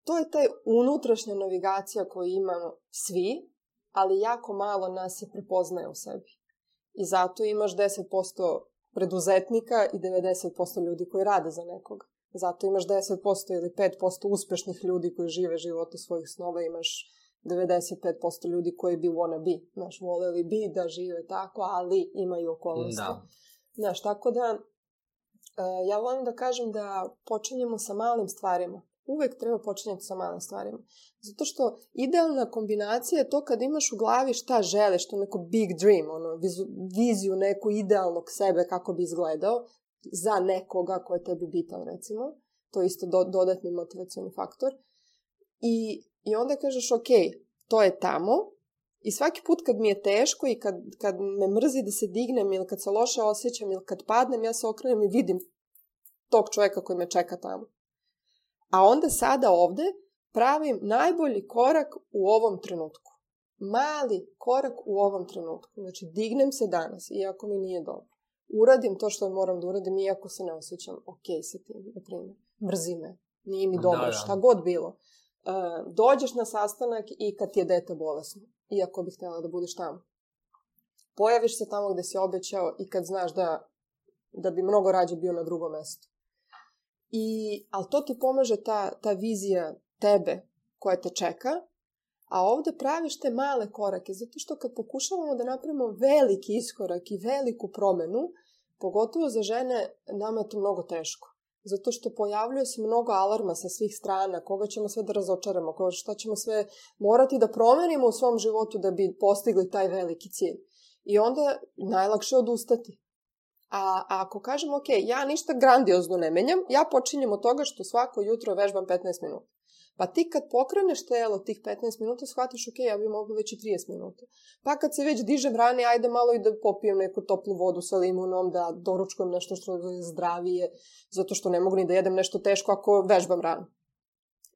to je taj unutrašnja navigacija koju imamo svi, ali jako malo nas je prepoznaje u sebi. I zato imaš deset posto preduzetnika i devedeset posto ljudi koji rade za nekoga. Zato imaš deset posto ili pet posto uspešnih ljudi koji žive živote svojih snova, imaš devedeset pet posto ljudi koji bi wanna be. Znaš, voleli bi da žive tako, ali imaju okolnosti. Da. Znaš, tako da uh, ja volim da kažem da počinjemo sa malim stvarima. Uvek treba počinjati sa malim stvarima. Zato što idealna kombinacija je to kad imaš u glavi šta želiš, to neko big dream, ono, vizu, viziju neku idealnog sebe kako bi izgledao za nekoga ko je tebi bitan, recimo. To je isto do, dodatni motivacioni faktor. I, i onda kažeš, ok, to je tamo. I svaki put kad mi je teško i kad, kad me mrzi da se dignem ili kad se loše osjećam ili kad padnem, ja se okrenem i vidim tog čovjeka koji me čeka tamo. A onda sada ovde pravim najbolji korak u ovom trenutku. Mali korak u ovom trenutku. Znači, dignem se danas, iako mi nije dobro. Uradim to što moram da uradim, iako se ne osjećam ok sa tim, na primjer. Mrzi me, nije mi dobro, da, da. Šta god bilo. Uh, dođeš na sastanak i kad ti je dete bolesno, iako bih htjela da budeš tamo. Pojaviš se tamo gde si obećao i kad znaš da, da bi mnogo rađe bio na drugom mestu. I, ali to ti pomaže ta, ta vizija tebe koja te čeka, a ovde praviš te male korake, zato što kad pokušavamo da napravimo veliki iskorak i veliku promenu, pogotovo za žene, nama je to mnogo teško. Zato što pojavljuje se mnogo alarma sa svih strana, koga ćemo sve da razočaramo, koga šta ćemo sve morati da promenimo u svom životu da bi postigli taj veliki cilj. I onda najlakše odustati. A, a ako kažem, ok, ja ništa grandiozno ne menjam, ja počinjem od toga što svako jutro vežbam petnaest minuta. Pa ti kad pokreneš telo tih petnaest minuta, shvatiš, ok, ja bi mogla već i trideset minuta. Pa kad se već dižem rane, ajde malo i da popijem neku toplu vodu sa limunom, da doručkujem nešto što je zdravije, zato što ne mogu ni da jedem nešto teško ako vežbam rano.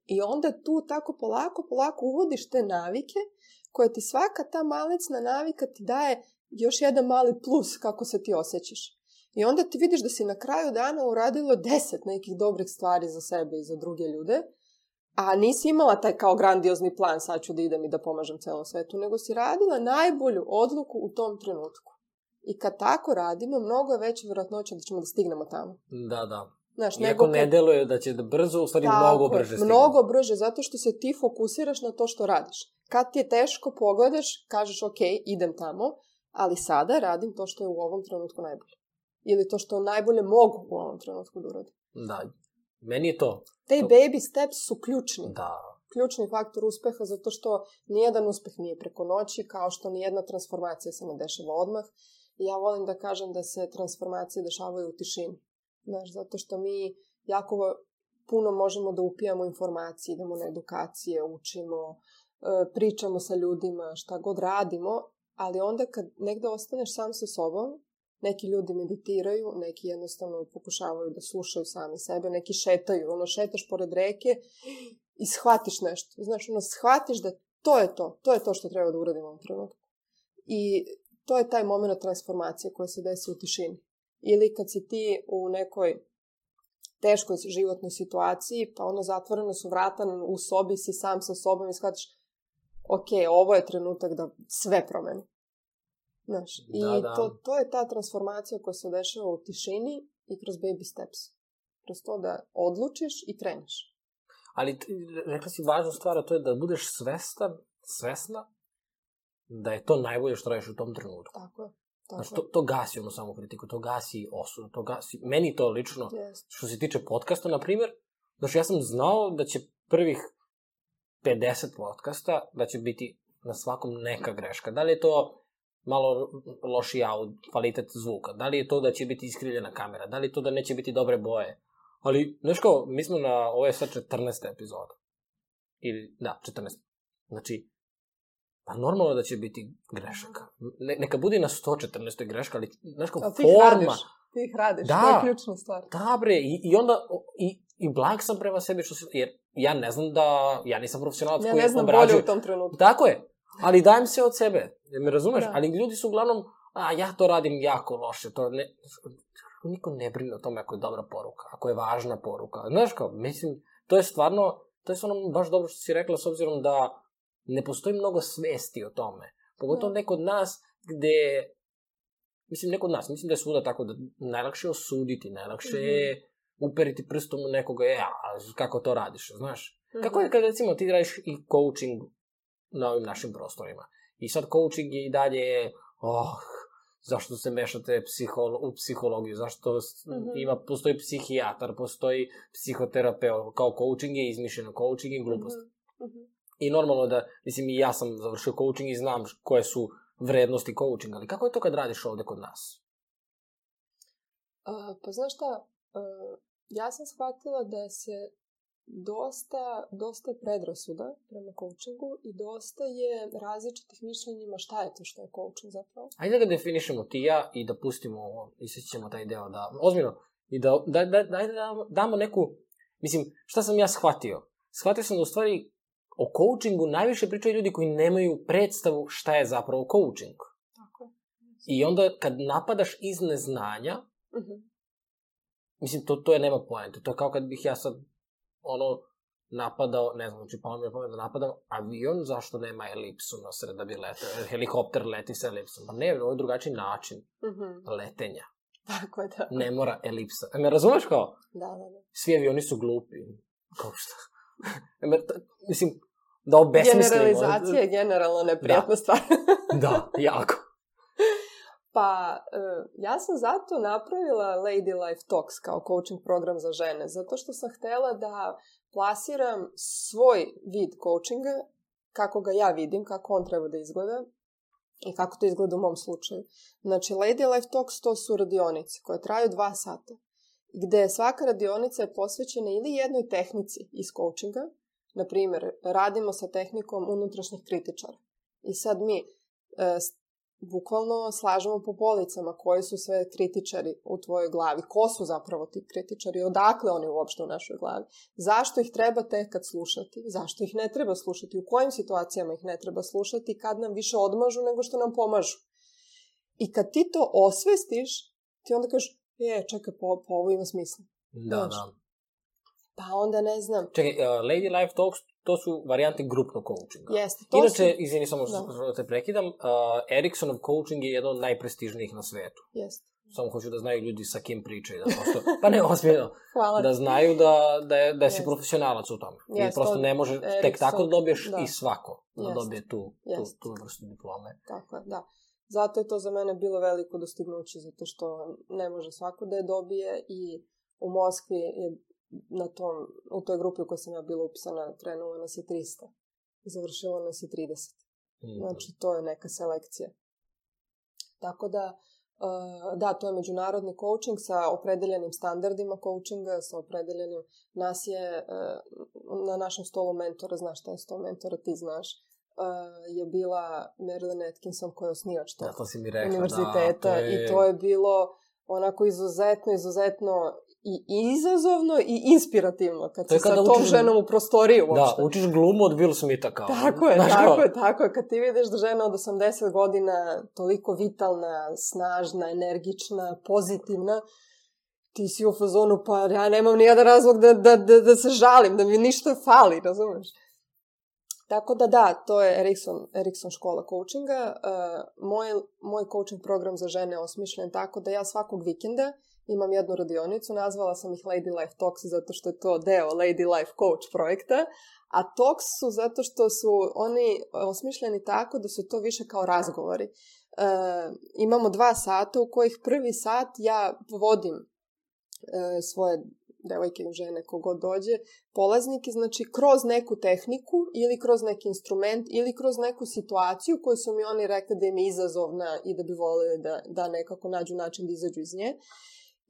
I onda tu tako polako, polako uvodiš te navike, koje ti svaka ta malecna navika ti daje još jedan mali plus kako se ti osjećaš. I onda ti vidiš da si na kraju dana uradilo deset nekih dobrih stvari za sebe i za druge ljude, a nisi imala taj kao grandiozni plan, sad ću da idem i da pomažem celom svetu, nego si radila najbolju odluku u tom trenutku. I kad tako radimo, mnogo je veća vjerojatnoća da ćemo da stignemo tamo. Da, da. Znaš, iako kad... ne deluje da će da brzo, u stvari tako, mnogo brže stigne. Mnogo brže, zato što se ti fokusiraš na to što radiš. Kad ti je teško, pogledaš, kažeš ok, idem tamo, ali sada radim to što je u ovom trenutku najbolje. Ili to što najbolje mogu u ovom trenutku da uradim. Da, meni je to. Te to... baby steps su ključni. Da. Ključni faktor uspeha, zato što nijedan uspeh nije preko noći, kao što nijedna transformacija se ne dešava odmah. I ja volim da kažem da se transformacije dešavaju u tišini. Znaš, zato što mi jako puno možemo da upijamo informacije, idemo na edukacije, učimo, pričamo sa ljudima, šta god radimo, ali onda kad negde ostaneš sam sa sobom, neki ljudi meditiraju, neki jednostavno pokušavaju da slušaju sami sebe, neki šetaju, ono, šetaš pored reke i shvatiš nešto. Znaš, ono, shvatiš da to je to, to je to što treba da uradimo u ovom trenutku. I to je taj moment transformacije koja se desi u tišini. Ili kad si ti u nekoj teškoj životnoj situaciji, pa ono, zatvoreno su vrata, u sobi si sam sa sobom i shvatiš, ok, ovo je trenutak da sve promeni. Znaš, i da, da. To, to je ta transformacija koja se dešava u tišini i kroz baby steps. Kroz to da odlučiš i kreneš. Ali rekla si važnu stvar, a to je da budeš svestan, svesna da je to najbolje što radiš u tom trenutku. Tako je. Tako Znaš, to, to gasi ono samo kritiku, to gasi osudu, to gasi... Meni to lično, yes. Što se tiče podcasta, na primjer, znaš, ja sam znao da će prvih pedeset podcasta, da će biti na svakom neka greška. Da li je to malo loši audio, kvalitet zvuka, da li je to da će biti iskrivljena kamera, da li je to da neće biti dobre boje. Ali, znaš kao, mi smo na, ovo je sad četrnaesta epizoda. Ili, da, četrnaesta. Znači, pa normalno da će biti grešaka. Ne, neka bude na sto četrnaestoj greška, ali, znaš kao, ti forma... Radiš, ti ih radiš, da, to je ključna stvar. Da, bre, i, i onda, i, i blag sam prema sebi, što se, jer ja ne znam da, ja nisam profesionalac ja koji ne znam obrađuje. bolje u tom trenutku. Tako je, ali dajem se od sebe, me razumeš? Da. Ali ljudi su uglavnom, a ja to radim jako loše, to ne... Niko ne brine o tome ako je dobra poruka, ako je važna poruka. Znaš kao, mislim, to je stvarno, to je stvarno baš dobro što si rekla, s obzirom da ne postoji mnogo svesti o tome. Pogotovo neko od nas gde mislim, ne kod nas, mislim da je svuda tako da najlakše osuditi, najlakše je mm-hmm. uperiti prstom u nekoga, e, a kako to radiš, znaš? Mm-hmm. Kako je kad, recimo, ti radiš i coaching na ovim našim prostorima. I sad coaching je i dalje, oh, zašto se mešate psiholo- u psihologiju, zašto mm-hmm. ima, postoji psihijatar, postoji psihoterapeut, kao coaching je izmišljeno, coaching je glupost. Mm-hmm. I normalno da, mislim, i ja sam završio coaching i znam koje su vrednosti coachinga, ali kako je to kad radiš ovde kod nas? Uh, pa znaš šta, uh, ja sam shvatila da se dosta, dosta predrasuda prema coachingu i dosta je različitih mišljenjima šta je to što je coaching zapravo. Ajde da ga definišemo ti ja i da pustimo ovo, i sad ćemo taj deo da, ozbiljno, i da, da, da, da, da damo neku, mislim, šta sam ja shvatio? Shvatio sam da u stvari o coachingu najviše pričaju ljudi koji nemaju predstavu šta je zapravo coaching. Tako. I onda kad napadaš iz neznanja, uh-huh. mislim, to, to je nema poente. To je kao kad bih ja sad, ono, napadao, ne znam, znači palo mi je pomen da napadam avion, zašto nema elipsu na sred da bi letao? Helikopter leti sa elipsom. Pa ne, ovo je drugačiji način uh-huh. letenja. Tako je, tako. Ne mora elipsa. E, me razumeš kao? Da, da, da. Svi avioni su glupi. Kao šta? Mislim, da obesmislimo. Generalizacija je generalno neprijatna stvar. Da, jako. Pa, ja sam zato napravila Lady Life Talks kao coaching program za žene, zato što sam htela da plasiram svoj vid coachinga, kako ga ja vidim, kako on treba da izgleda i kako to izgleda u mom slučaju. Znači, Lady Life Talks to su radionice koje traju dva sata, gde svaka radionica je posvećena ili jednoj tehnici iz coachinga. Na primjer, radimo sa tehnikom unutrašnjih kritičara. I sad mi e, bukvalno slažemo po policama koji su sve kritičari u tvojoj glavi. Ko su zapravo ti kritičari? Odakle oni uopšte u našoj glavi? Zašto ih treba tek kad slušati? Zašto ih ne treba slušati? U kojim situacijama ih ne treba slušati? Kad nam više odmažu nego što nam pomažu? I kad ti to osvestiš, ti onda kažeš, je, čekaj, po, po ovo ima smisla. Da, Znaš? da. Pa onda ne znam. Čekaj, uh, Lady Life Talks, to su varijante grupnog coachinga. Jeste. To Inače, su... izvini, samo što te prekidam, uh, Eriksonov coaching je jedan od najprestižnijih na svetu. Jeste. Samo hoću da znaju ljudi sa kim pričaju. Da prosto, pa ne, ozbiljno. Hvala. Da znaju da, da, je, da si profesionalac u tome. Jeste. I prosto ne može Erikson, tek tako da dobiješ da. i svako da Jeste. dobije tu, tu, tu vrstu diplome. Tako je, da. Zato je to za mene bilo veliko dostignuće, zato što ne može svako da je dobije i u Moskvi je na tom, u toj grupi u kojoj sam ja bila upisana, krenulo nas je trista. Završilo nas je trideset. Mm. Znači, to je neka selekcija. Tako da, uh, da, to je međunarodni coaching sa opredeljenim standardima coachinga, sa opredeljenim, nas je uh, na našem stolu mentora, znaš šta je sto mentora, ti znaš, uh, je bila Marilyn Atkinson koja je osnivač tog da, to si mi rekla, univerziteta. Da, to je... I to je bilo onako izuzetno, izuzetno i izazovno i inspirativno kad si sa tom učiš... ženom u prostoriju uopšte. Da, učiš glumu od Will Smitha kao. Tako je, Znaš tako kao? je, tako je. Kad ti vidiš da žena od osamdeset godina toliko vitalna, snažna, energična, pozitivna, ti si u fazonu, pa ja nemam nijedan razlog da, da, da, da se žalim, da mi ništa fali, razumeš? Tako da da, to je Erikson, Erikson škola coachinga. Uh, moj, moj coaching program za žene je osmišljen tako da ja svakog vikenda imam jednu radionicu, nazvala sam ih Lady Life Talks zato što je to deo Lady Life Coach projekta, a Talks su zato što su oni osmišljeni tako da su to više kao razgovori. E, imamo dva sata u kojih prvi sat ja vodim e, svoje devojke, žene, kogod dođe, polaznike, znači kroz neku tehniku ili kroz neki instrument ili kroz neku situaciju koju su mi oni rekli da im je izazovna i da bi voleli da, da nekako nađu način da izađu iz nje.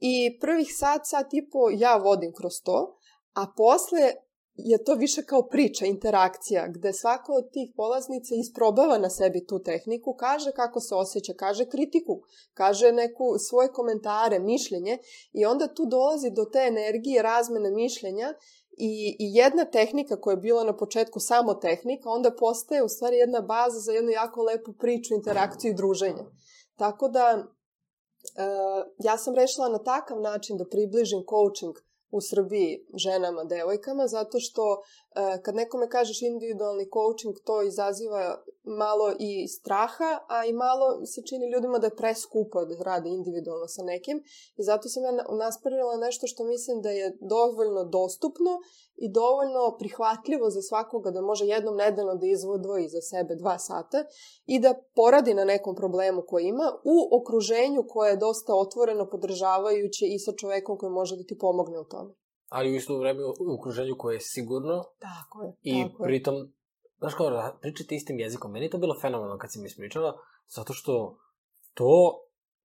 I prvih sat, sat i po ja vodim kroz to, a posle je to više kao priča, interakcija, gde svaka od tih polaznica isprobava na sebi tu tehniku, kaže kako se osjeća, kaže kritiku, kaže neku svoje komentare, mišljenje i onda tu dolazi do te energije razmene mišljenja i, i jedna tehnika koja je bila na početku samo tehnika, onda postaje u stvari jedna baza za jednu jako lepu priču, interakciju i druženje. Tako da Uh, ja sam rešila na takav način da približim coaching u Srbiji ženama, devojkama, zato što uh, kad nekome kažeš individualni coaching, to izaziva malo i straha, a i malo se čini ljudima da je preskupo da rade individualno sa nekim. I zato sam ja naspravila nešto što mislim da je dovoljno dostupno i dovoljno prihvatljivo za svakoga da može jednom nedeljno da izvodvoji za sebe dva sata i da poradi na nekom problemu koji ima u okruženju koje je dosta otvoreno, podržavajuće i sa čovekom koji može da ti pomogne u tome. Ali u isto vreme u okruženju koje je sigurno. Tako je. I tako pritom, znaš kao, pričati istim jezikom. Meni je to bilo fenomenalno kad si mi ispričala, zato što to,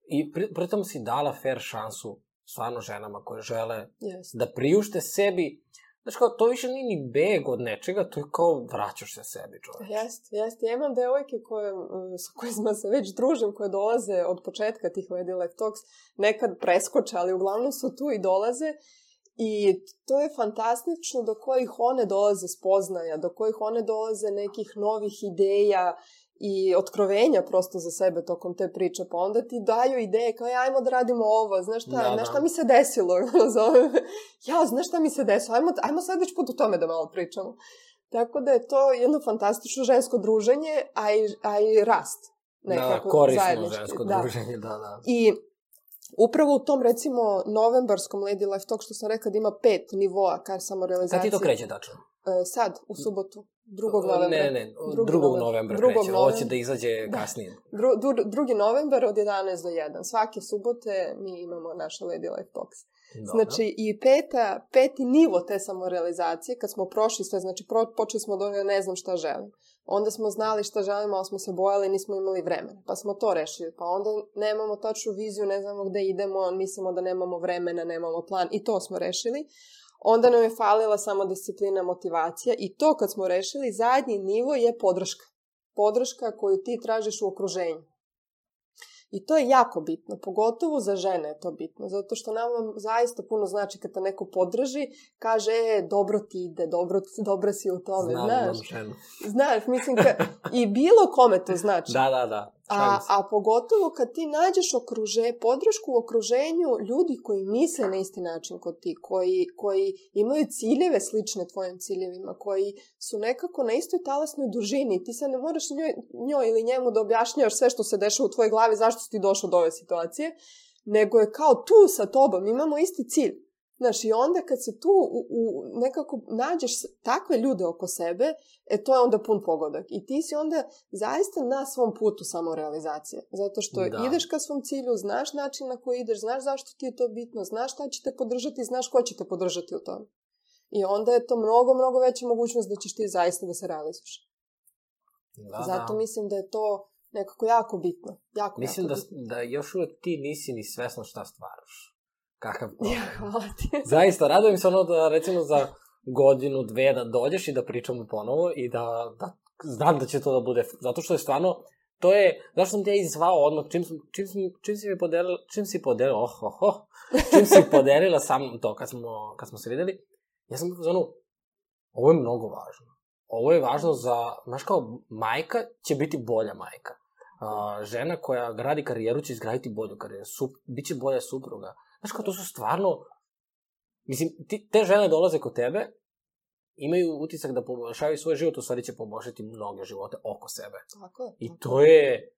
i pri, pritom si dala fair šansu stvarno ženama koje žele yes. da priušte sebi. Znaš kao, to više nije ni beg od nečega, to je kao vraćaš se sebi, čoveč. Jeste, jeste. Ja imam devojke koje, sa kojima se već družim, koje dolaze od početka tih Lady Life Talks, nekad preskoče, ali uglavnom su tu i dolaze. I to je fantastično do kojih one dolaze spoznaja, do kojih one dolaze nekih novih ideja i otkrovenja prosto za sebe tokom te priče. Pa onda ti daju ideje kao, ajmo da radimo ovo, znaš šta, da, znaš šta da. mi se desilo? ja, znaš šta mi se desilo? Ajmo, ajmo sad već put u tome da malo pričamo. Tako da je to jedno fantastično žensko druženje, a i, a i rast. Nekako, da, korisno žensko da. druženje, da, da. I upravo u tom, recimo, novembarskom Lady Life Talk, što sam rekla da ima pet nivoa kar samorealizacije. Kad ti to kreće, tačno? Sad, u subotu, drugog novembra. Ne, ne, drugog, drugog novembra kreće. Drugog Ovo će da izađe da. kasnije. Dru, dru, drugi novembar od jedanaest do jedan. Svake subote mi imamo naše Lady Life Talks. Dobro. Znači, i peta, peti nivo te samorealizacije, kad smo prošli sve, znači pro, počeli smo od onoga ne znam šta želim. Onda smo znali šta želimo, ali smo se bojali, nismo imali vremena. Pa smo to rešili. Pa onda nemamo tačnu viziju, ne znamo gde idemo, mislimo da nemamo vremena, nemamo plan. I to smo rešili. Onda nam je falila samo disciplina, motivacija. I to kad smo rešili, zadnji nivo je podrška. Podrška koju ti tražiš u okruženju. I to je jako bitno, pogotovo za žene je to bitno, zato što nam zaista puno znači kad te neko podrži, kaže, e, dobro ti ide, dobro, dobro si u tome, Znam, znaš. Znam, znaš, mislim, ka, i bilo kome to znači. Da, da, da. A, a pogotovo kad ti nađeš okruže, podršku u okruženju ljudi koji misle na isti način kod ti, koji, koji imaju ciljeve slične tvojim ciljevima, koji su nekako na istoj talasnoj dužini. Ti sad ne moraš njoj, njoj ili njemu da objašnjavaš sve što se dešava u tvojoj glavi, zašto si ti došao do ove situacije, nego je kao tu sa tobom, imamo isti cilj. Znaš, i onda kad se tu u, u nekako nađeš takve ljude oko sebe, e to je onda pun pogodak. I ti si onda zaista na svom putu samorealizacije. Zato što da. ideš ka svom cilju, znaš način na koji ideš, znaš zašto ti je to bitno, znaš šta će te podržati, znaš ko će te podržati u tome. I onda je to mnogo, mnogo veća mogućnost da ćeš ti zaista da se realizuješ. Da, Zato da. mislim da je to nekako jako bitno. Jako, mislim jako da, bitno. da još uvek ti nisi ni svesna šta stvaraš. Kakav problem. Ja, hvala ti. Zaista, radujem se ono da recimo za godinu, dve da dođeš i da pričamo ponovo i da, da znam da će to da bude, zato što je stvarno, to je, zašto sam te ja izvao odmah, čim, čim, čim si mi podelila, čim si podelila, oh, oh, oh, čim si podelila sa mnom to kad smo, kad smo se videli, ja sam za ono, ovo je mnogo važno. Ovo je važno za, znaš kao, majka će biti bolja majka. Uh, žena koja gradi karijeru će izgraditi bolju karijeru, Sup, bit će bolja supruga. Znaš kao, to su stvarno, mislim, ti, te žene dolaze kod tebe, imaju utisak da poboljšavaju svoj život, u stvari će poboljšati mnoge živote oko sebe. Tako je. I to je,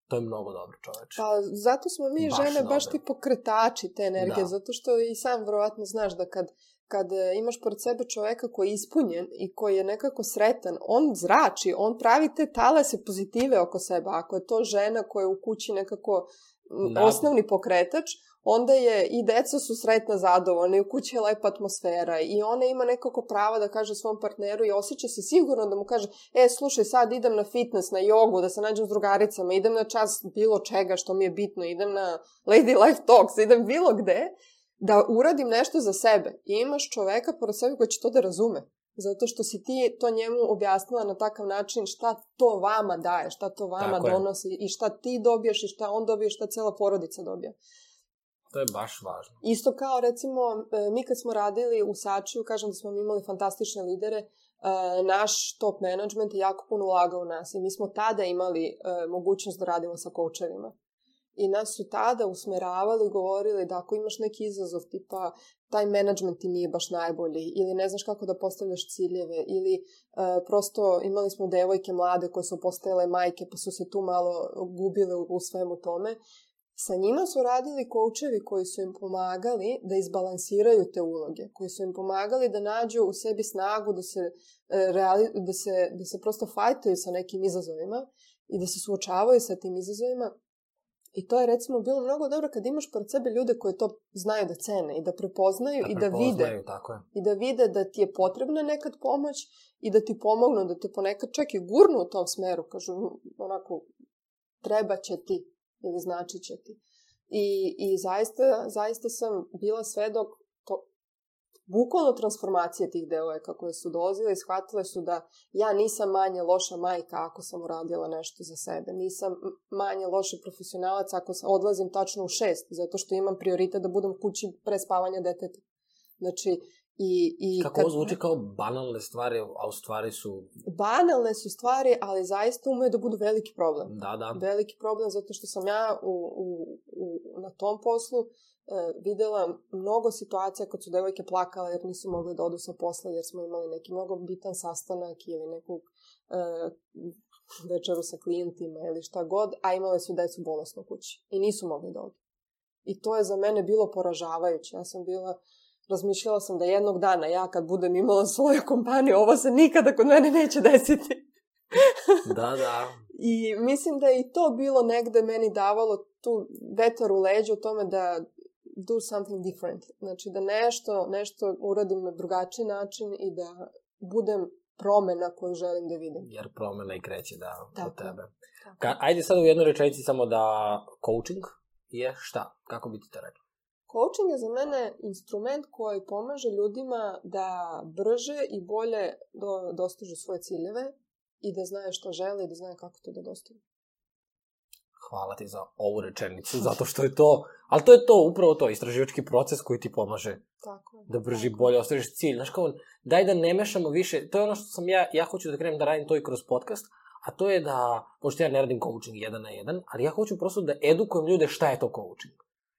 to je mnogo dobro, čoveče. Pa zato smo mi baš žene baš ti pokretači te energije, da. Zato što i sam verovatno znaš da kad, kad imaš pored sebe čoveka koji je ispunjen i koji je nekako sretan, on zrači, on pravi te talase pozitive oko sebe. Ako je to žena koja je u kući nekako da. osnovni pokretač, onda je i deca su sretna, zadovoljna i u kući je lepa atmosfera i ona ima nekako pravo da kaže svom partneru i osjeća se sigurno da mu kaže, e, slušaj, sad idem na fitness, na jogu, da se nađem s drugaricama, idem na čas bilo čega što mi je bitno, idem na Lady Life Talks, idem bilo gde, da uradim nešto za sebe. I imaš čoveka pored sebe koji će to da razume. Zato što si ti to njemu objasnila na takav način šta to vama daje, šta to vama Tako donosi je. I šta ti dobiješ i šta on dobije, šta cela porodica dobija. To je baš važno. Isto kao, recimo, mi kad smo radili u Sačiju, kažem da smo imali fantastične lidere, naš top management je jako puno ulagao u nas i mi smo tada imali mogućnost da radimo sa koučevima. I nas su tada usmeravali, govorili da ako imaš neki izazov tipa taj menadžment ti nije baš najbolji ili ne znaš kako da postavljaš ciljeve ili uh, prosto imali smo devojke mlade koje su postajale majke pa su se tu malo gubile u, u svemu tome. Sa njima su radili koučevi koji su im pomagali da izbalansiraju te uloge, koji su im pomagali da nađu u sebi snagu da se, reali, da se, da se prosto fajtaju sa nekim izazovima i da se suočavaju sa tim izazovima. I to je recimo bilo mnogo dobro kad imaš pored sebe ljude koji to znaju da cene i da prepoznaju, da i da prepoznaju, vide. Tako je. I da vide da ti je potrebna nekad pomoć i da ti pomognu, da te ponekad čak i gurnu u tom smeru. Kažu onako, treba će ti ili znači će ti. I, i zaista, zaista sam bila svedok to, bukvalno transformacije tih devojaka koje su dolazile i shvatile su da ja nisam manje loša majka ako sam uradila nešto za sebe. Nisam manje loši profesionalac ako odlazim tačno u šest, zato što imam prioritet da budem kući pre spavanja deteta. Znači, i, i kako kad... ovo zvuči kao banalne stvari, a u stvari su... Banalne su stvari, ali zaista umeju da budu veliki problem. Da, da. Veliki problem, zato što sam ja u, u, u, na tom poslu uh, videla mnogo situacija kad su devojke plakale jer nisu mogli da odu sa posla, jer smo imali neki mnogo bitan sastanak ili neku uh, večeru sa klijentima ili šta god, a imale su decu bolesno u kući i nisu mogli da odu. I to je za mene bilo poražavajuće. Ja sam bila... Razmišljala sam da jednog dana ja kad budem imala svoju kompaniju, ovo se nikada kod mene neće desiti. Da, da. I mislim da je i to bilo negde meni davalo tu vetar u leđu u tome da do something different. Znači da nešto, nešto uradim na drugačiji način i da budem promena koju želim da vidim. Jer promena i kreće da tako, od tebe. Tako. Ka, ajde sad u jednoj rečenici samo da coaching je šta? Kako bi ti to rekla? Coaching je za mene instrument koji pomaže ljudima da brže i bolje do, dostižu svoje ciljeve i da znaju što žele i da znaju kako to da dostignu. Hvala ti za ovu rečenicu, zato što je to, ali to je to, upravo to, istraživački proces koji ti pomaže tako, da brži tako. bolje ostvariš cilj. Znaš kao, daj da ne mešamo više, to je ono što sam ja, ja hoću da krenem da radim to i kroz podcast, a to je da, pošto ja ne radim coaching jedan na jedan, ali ja hoću prosto da edukujem ljude šta je to coaching.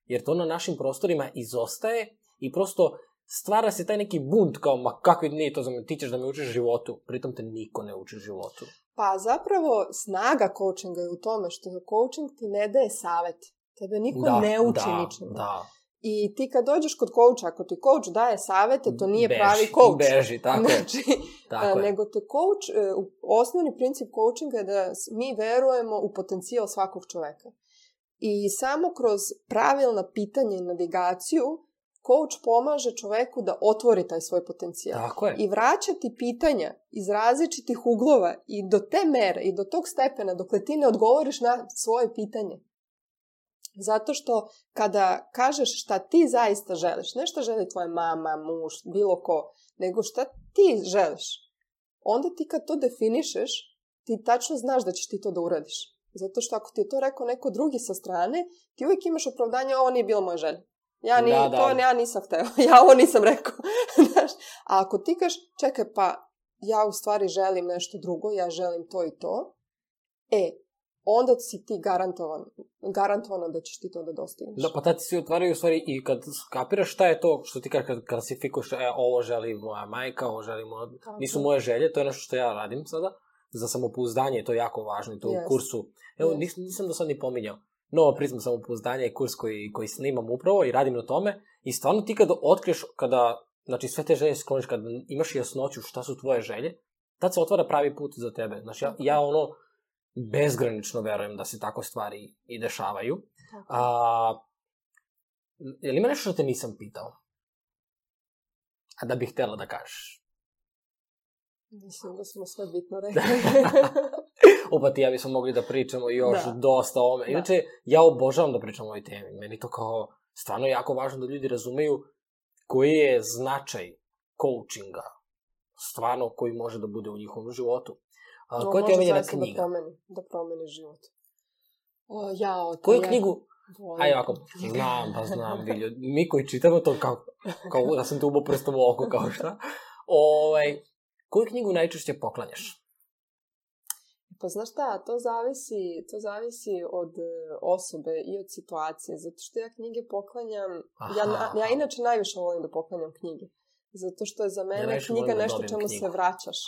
Jer to na našim prostorima izostaje i prosto stvara se taj neki bunt kao, ma kakvi nije to za me, ti ćeš da me učiš životu, pritom te niko ne uči životu. Pa zapravo snaga coachinga je u tome što coaching ti ne daje savjet. Tebe niko da, ne uči da, ničemu. Da. I ti kad dođeš kod coacha, ako ti coach daje savjete, to nije beži, pravi coach. Beži, tako je. Znači, tako nego te coach, osnovni princip coachinga je da mi verujemo u potencijal svakog čoveka. I samo kroz pravilna pitanja i navigaciju coach pomaže čoveku da otvori taj svoj potencijal. Tako je. I vraćati pitanja iz različitih uglova i do te mere i do tog stepena dokle ti ne odgovoriš na svoje pitanje. Zato što kada kažeš šta ti zaista želiš, ne šta želi tvoja mama, muž, bilo ko, nego šta ti želiš, onda ti kad to definišeš, ti tačno znaš da ćeš ti to da uradiš. Zato što ako ti je to rekao neko drugi sa strane, ti uvijek imaš opravdanje, ovo nije bila moja želja. Ja, ni, da, da. To ja nisam hteo, ja ovo nisam rekao. A ako ti kažeš, čekaj, pa ja u stvari želim nešto drugo, ja želim to i to, e, onda si ti garantovan, garantovano da ćeš ti to da dostigneš. Da, pa tad ti se otvaraju u stvari i kad skapiraš šta je to što ti kažeš kad klasifikuješ, e, ovo želi moja majka, ovo želi moja... Nisu moje želje, to je nešto što ja radim sada. Za samopouzdanje, to je jako važno i to yes. u kursu. Evo, yes. nisam, nisam do sad ni pominjao. Nova prizma samopouzdanja je kurs koji, koji snimam upravo i radim na tome. I stvarno ti kada otkriješ, kada, znači sve te želje skloniš, kada imaš jasnoću šta su tvoje želje, tad se otvara pravi put za tebe. Znači, ja, ja ono, bezgranično verujem da se tako stvari i dešavaju. A, je li ima nešto što te nisam pitao? A da bih htjela da kažeš? Mislim da smo sve bitno rekli. Opa, ti ja bismo mogli da pričamo još da. dosta o ome. Inače, ja obožavam da pričam o ovoj temi. Meni to kao stvarno jako važno da ljudi razumeju koji je značaj coachinga. Stvarno koji može da bude u njihovom životu. A, no, koja ti je omiljena knjiga? Da promeni, da promeni život. O, ja, o, Koju ja, knjigu? Volim. Ajde ovako, znam, pa znam, Viljo. Mi koji čitamo to kao, kao da sam te ubao prstom u oko, kao šta. Ovaj... Koju knjigu najčešće poklanjaš? Pa znaš šta, to zavisi, to zavisi od osobe i od situacije, zato što ja knjige poklanjam, ja, ja inače najviše volim da poklanjam knjige, zato što je za mene ja knjiga nešto čemu knjigu. se vraćaš.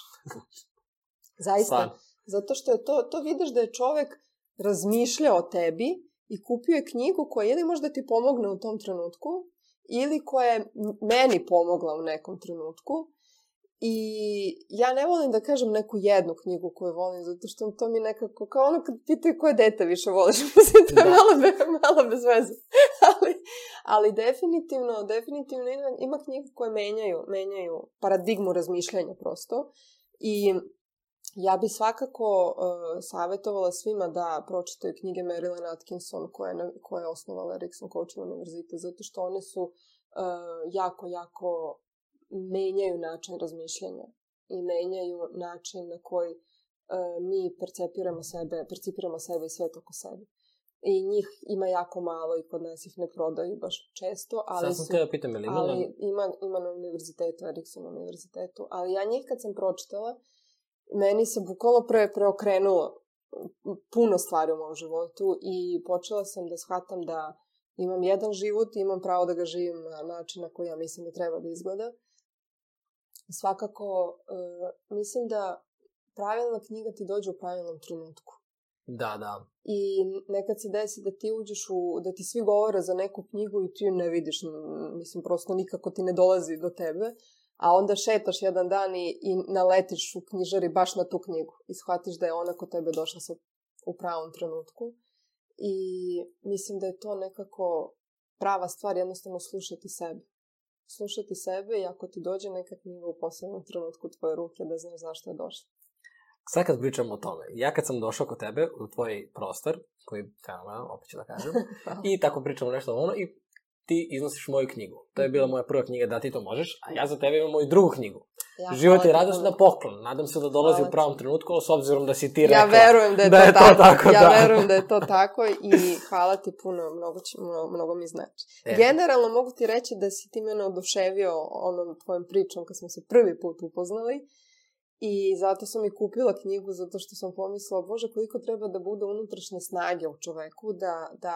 Zaista, Svan. Zato što je to, to vidiš da je čovek razmišljao o tebi i kupio je knjigu koja ili možda ti pomogne u tom trenutku, ili koja je meni pomogla u nekom trenutku. I ja ne volim da kažem neku jednu knjigu koju volim, zato što to mi nekako, kao ono kad pitaju koje dete više voliš, mislim, to je malo, be, malo bez veze. ali, ali definitivno, definitivno ima, ima knjiga koje menjaju, menjaju paradigmu razmišljanja prosto. I ja bi svakako uh, savjetovala svima da pročitaju knjige Marilyn Atkinson koja je, koja je osnovala Erickson Coaching univerzitet, zato što one su uh, jako, jako menjaju način razmišljanja i menjaju način na koji uh, mi percepiramo sebe, percipiramo sebe i svet oko sebe. I njih ima jako malo i kod nas ih ne prodaju baš često, ali, su, da pitam, ali, ali ima, ima na univerzitetu, Erickson univerzitetu. Ali ja njih kad sam pročitala, meni se bukvalno pre, preokrenulo puno stvari u mom životu i počela sam da shvatam da imam jedan život i imam pravo da ga živim na način na koji ja mislim da treba da izgleda. Svakako, uh, mislim da pravilna knjiga ti dođe u pravilnom trenutku. Da, da. I nekad se desi da ti uđeš u, da ti svi govore za neku knjigu i ti ju ne vidiš, mislim, prosto nikako ti ne dolazi do tebe, a onda šetaš jedan dan i, i naletiš u knjižari baš na tu knjigu i shvatiš da je ona kod tebe došla sa, u pravom trenutku. I mislim da je to nekako prava stvar, jednostavno slušati sebe. Slušati sebe i ako ti dođe neka knjiga u posebnom trenutku tvoje ruke, da znaš zašto je došla. Sad kad pričamo o tome, ja kad sam došao kod tebe u tvoj prostor, koji je fenomenal, opet ću da kažem, i tako pričamo nešto ono, i ti iznosiš moju knjigu. To je bila moja prva knjiga, da ti to možeš, a ja za tebe imam moju drugu knjigu. Ja, Život je radost na poklon. Nadam se da dolazi hvala u pravom trenutku, ali s obzirom da si ti rekla ja verujem da je, da to, je tako. to tako. Ja da. verujem da je to tako i hvala ti puno, mnogo, mnogo, mnogo mi znači. E. Generalno mogu ti reći da si ti mene oduševio onom tvojom pričom kad smo se prvi put upoznali i zato sam i kupila knjigu, zato što sam pomislila, Bože, koliko treba da bude unutrašnje snage u čoveku, da, da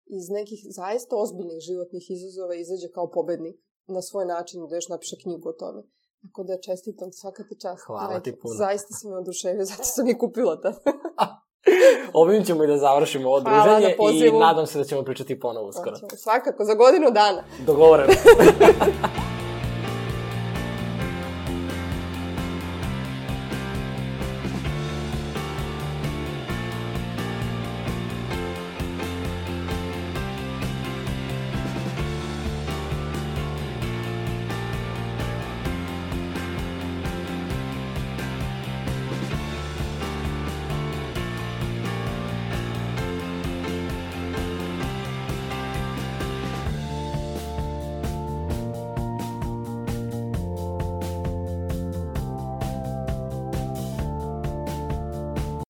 iz nekih zaista ozbiljnih životnih izazova izađe kao pobednik na svoj način, da još napiše knjigu o tome. Tako da čestitam, svaka ti čast. Hvala ti puno. Zaista si me oduševio, zato sam i kupila to. Ovim ćemo i da završimo ovo druženje i nadam se da ćemo pričati ponovo uskoro. Svakako, za godinu dana. Dogovoreno.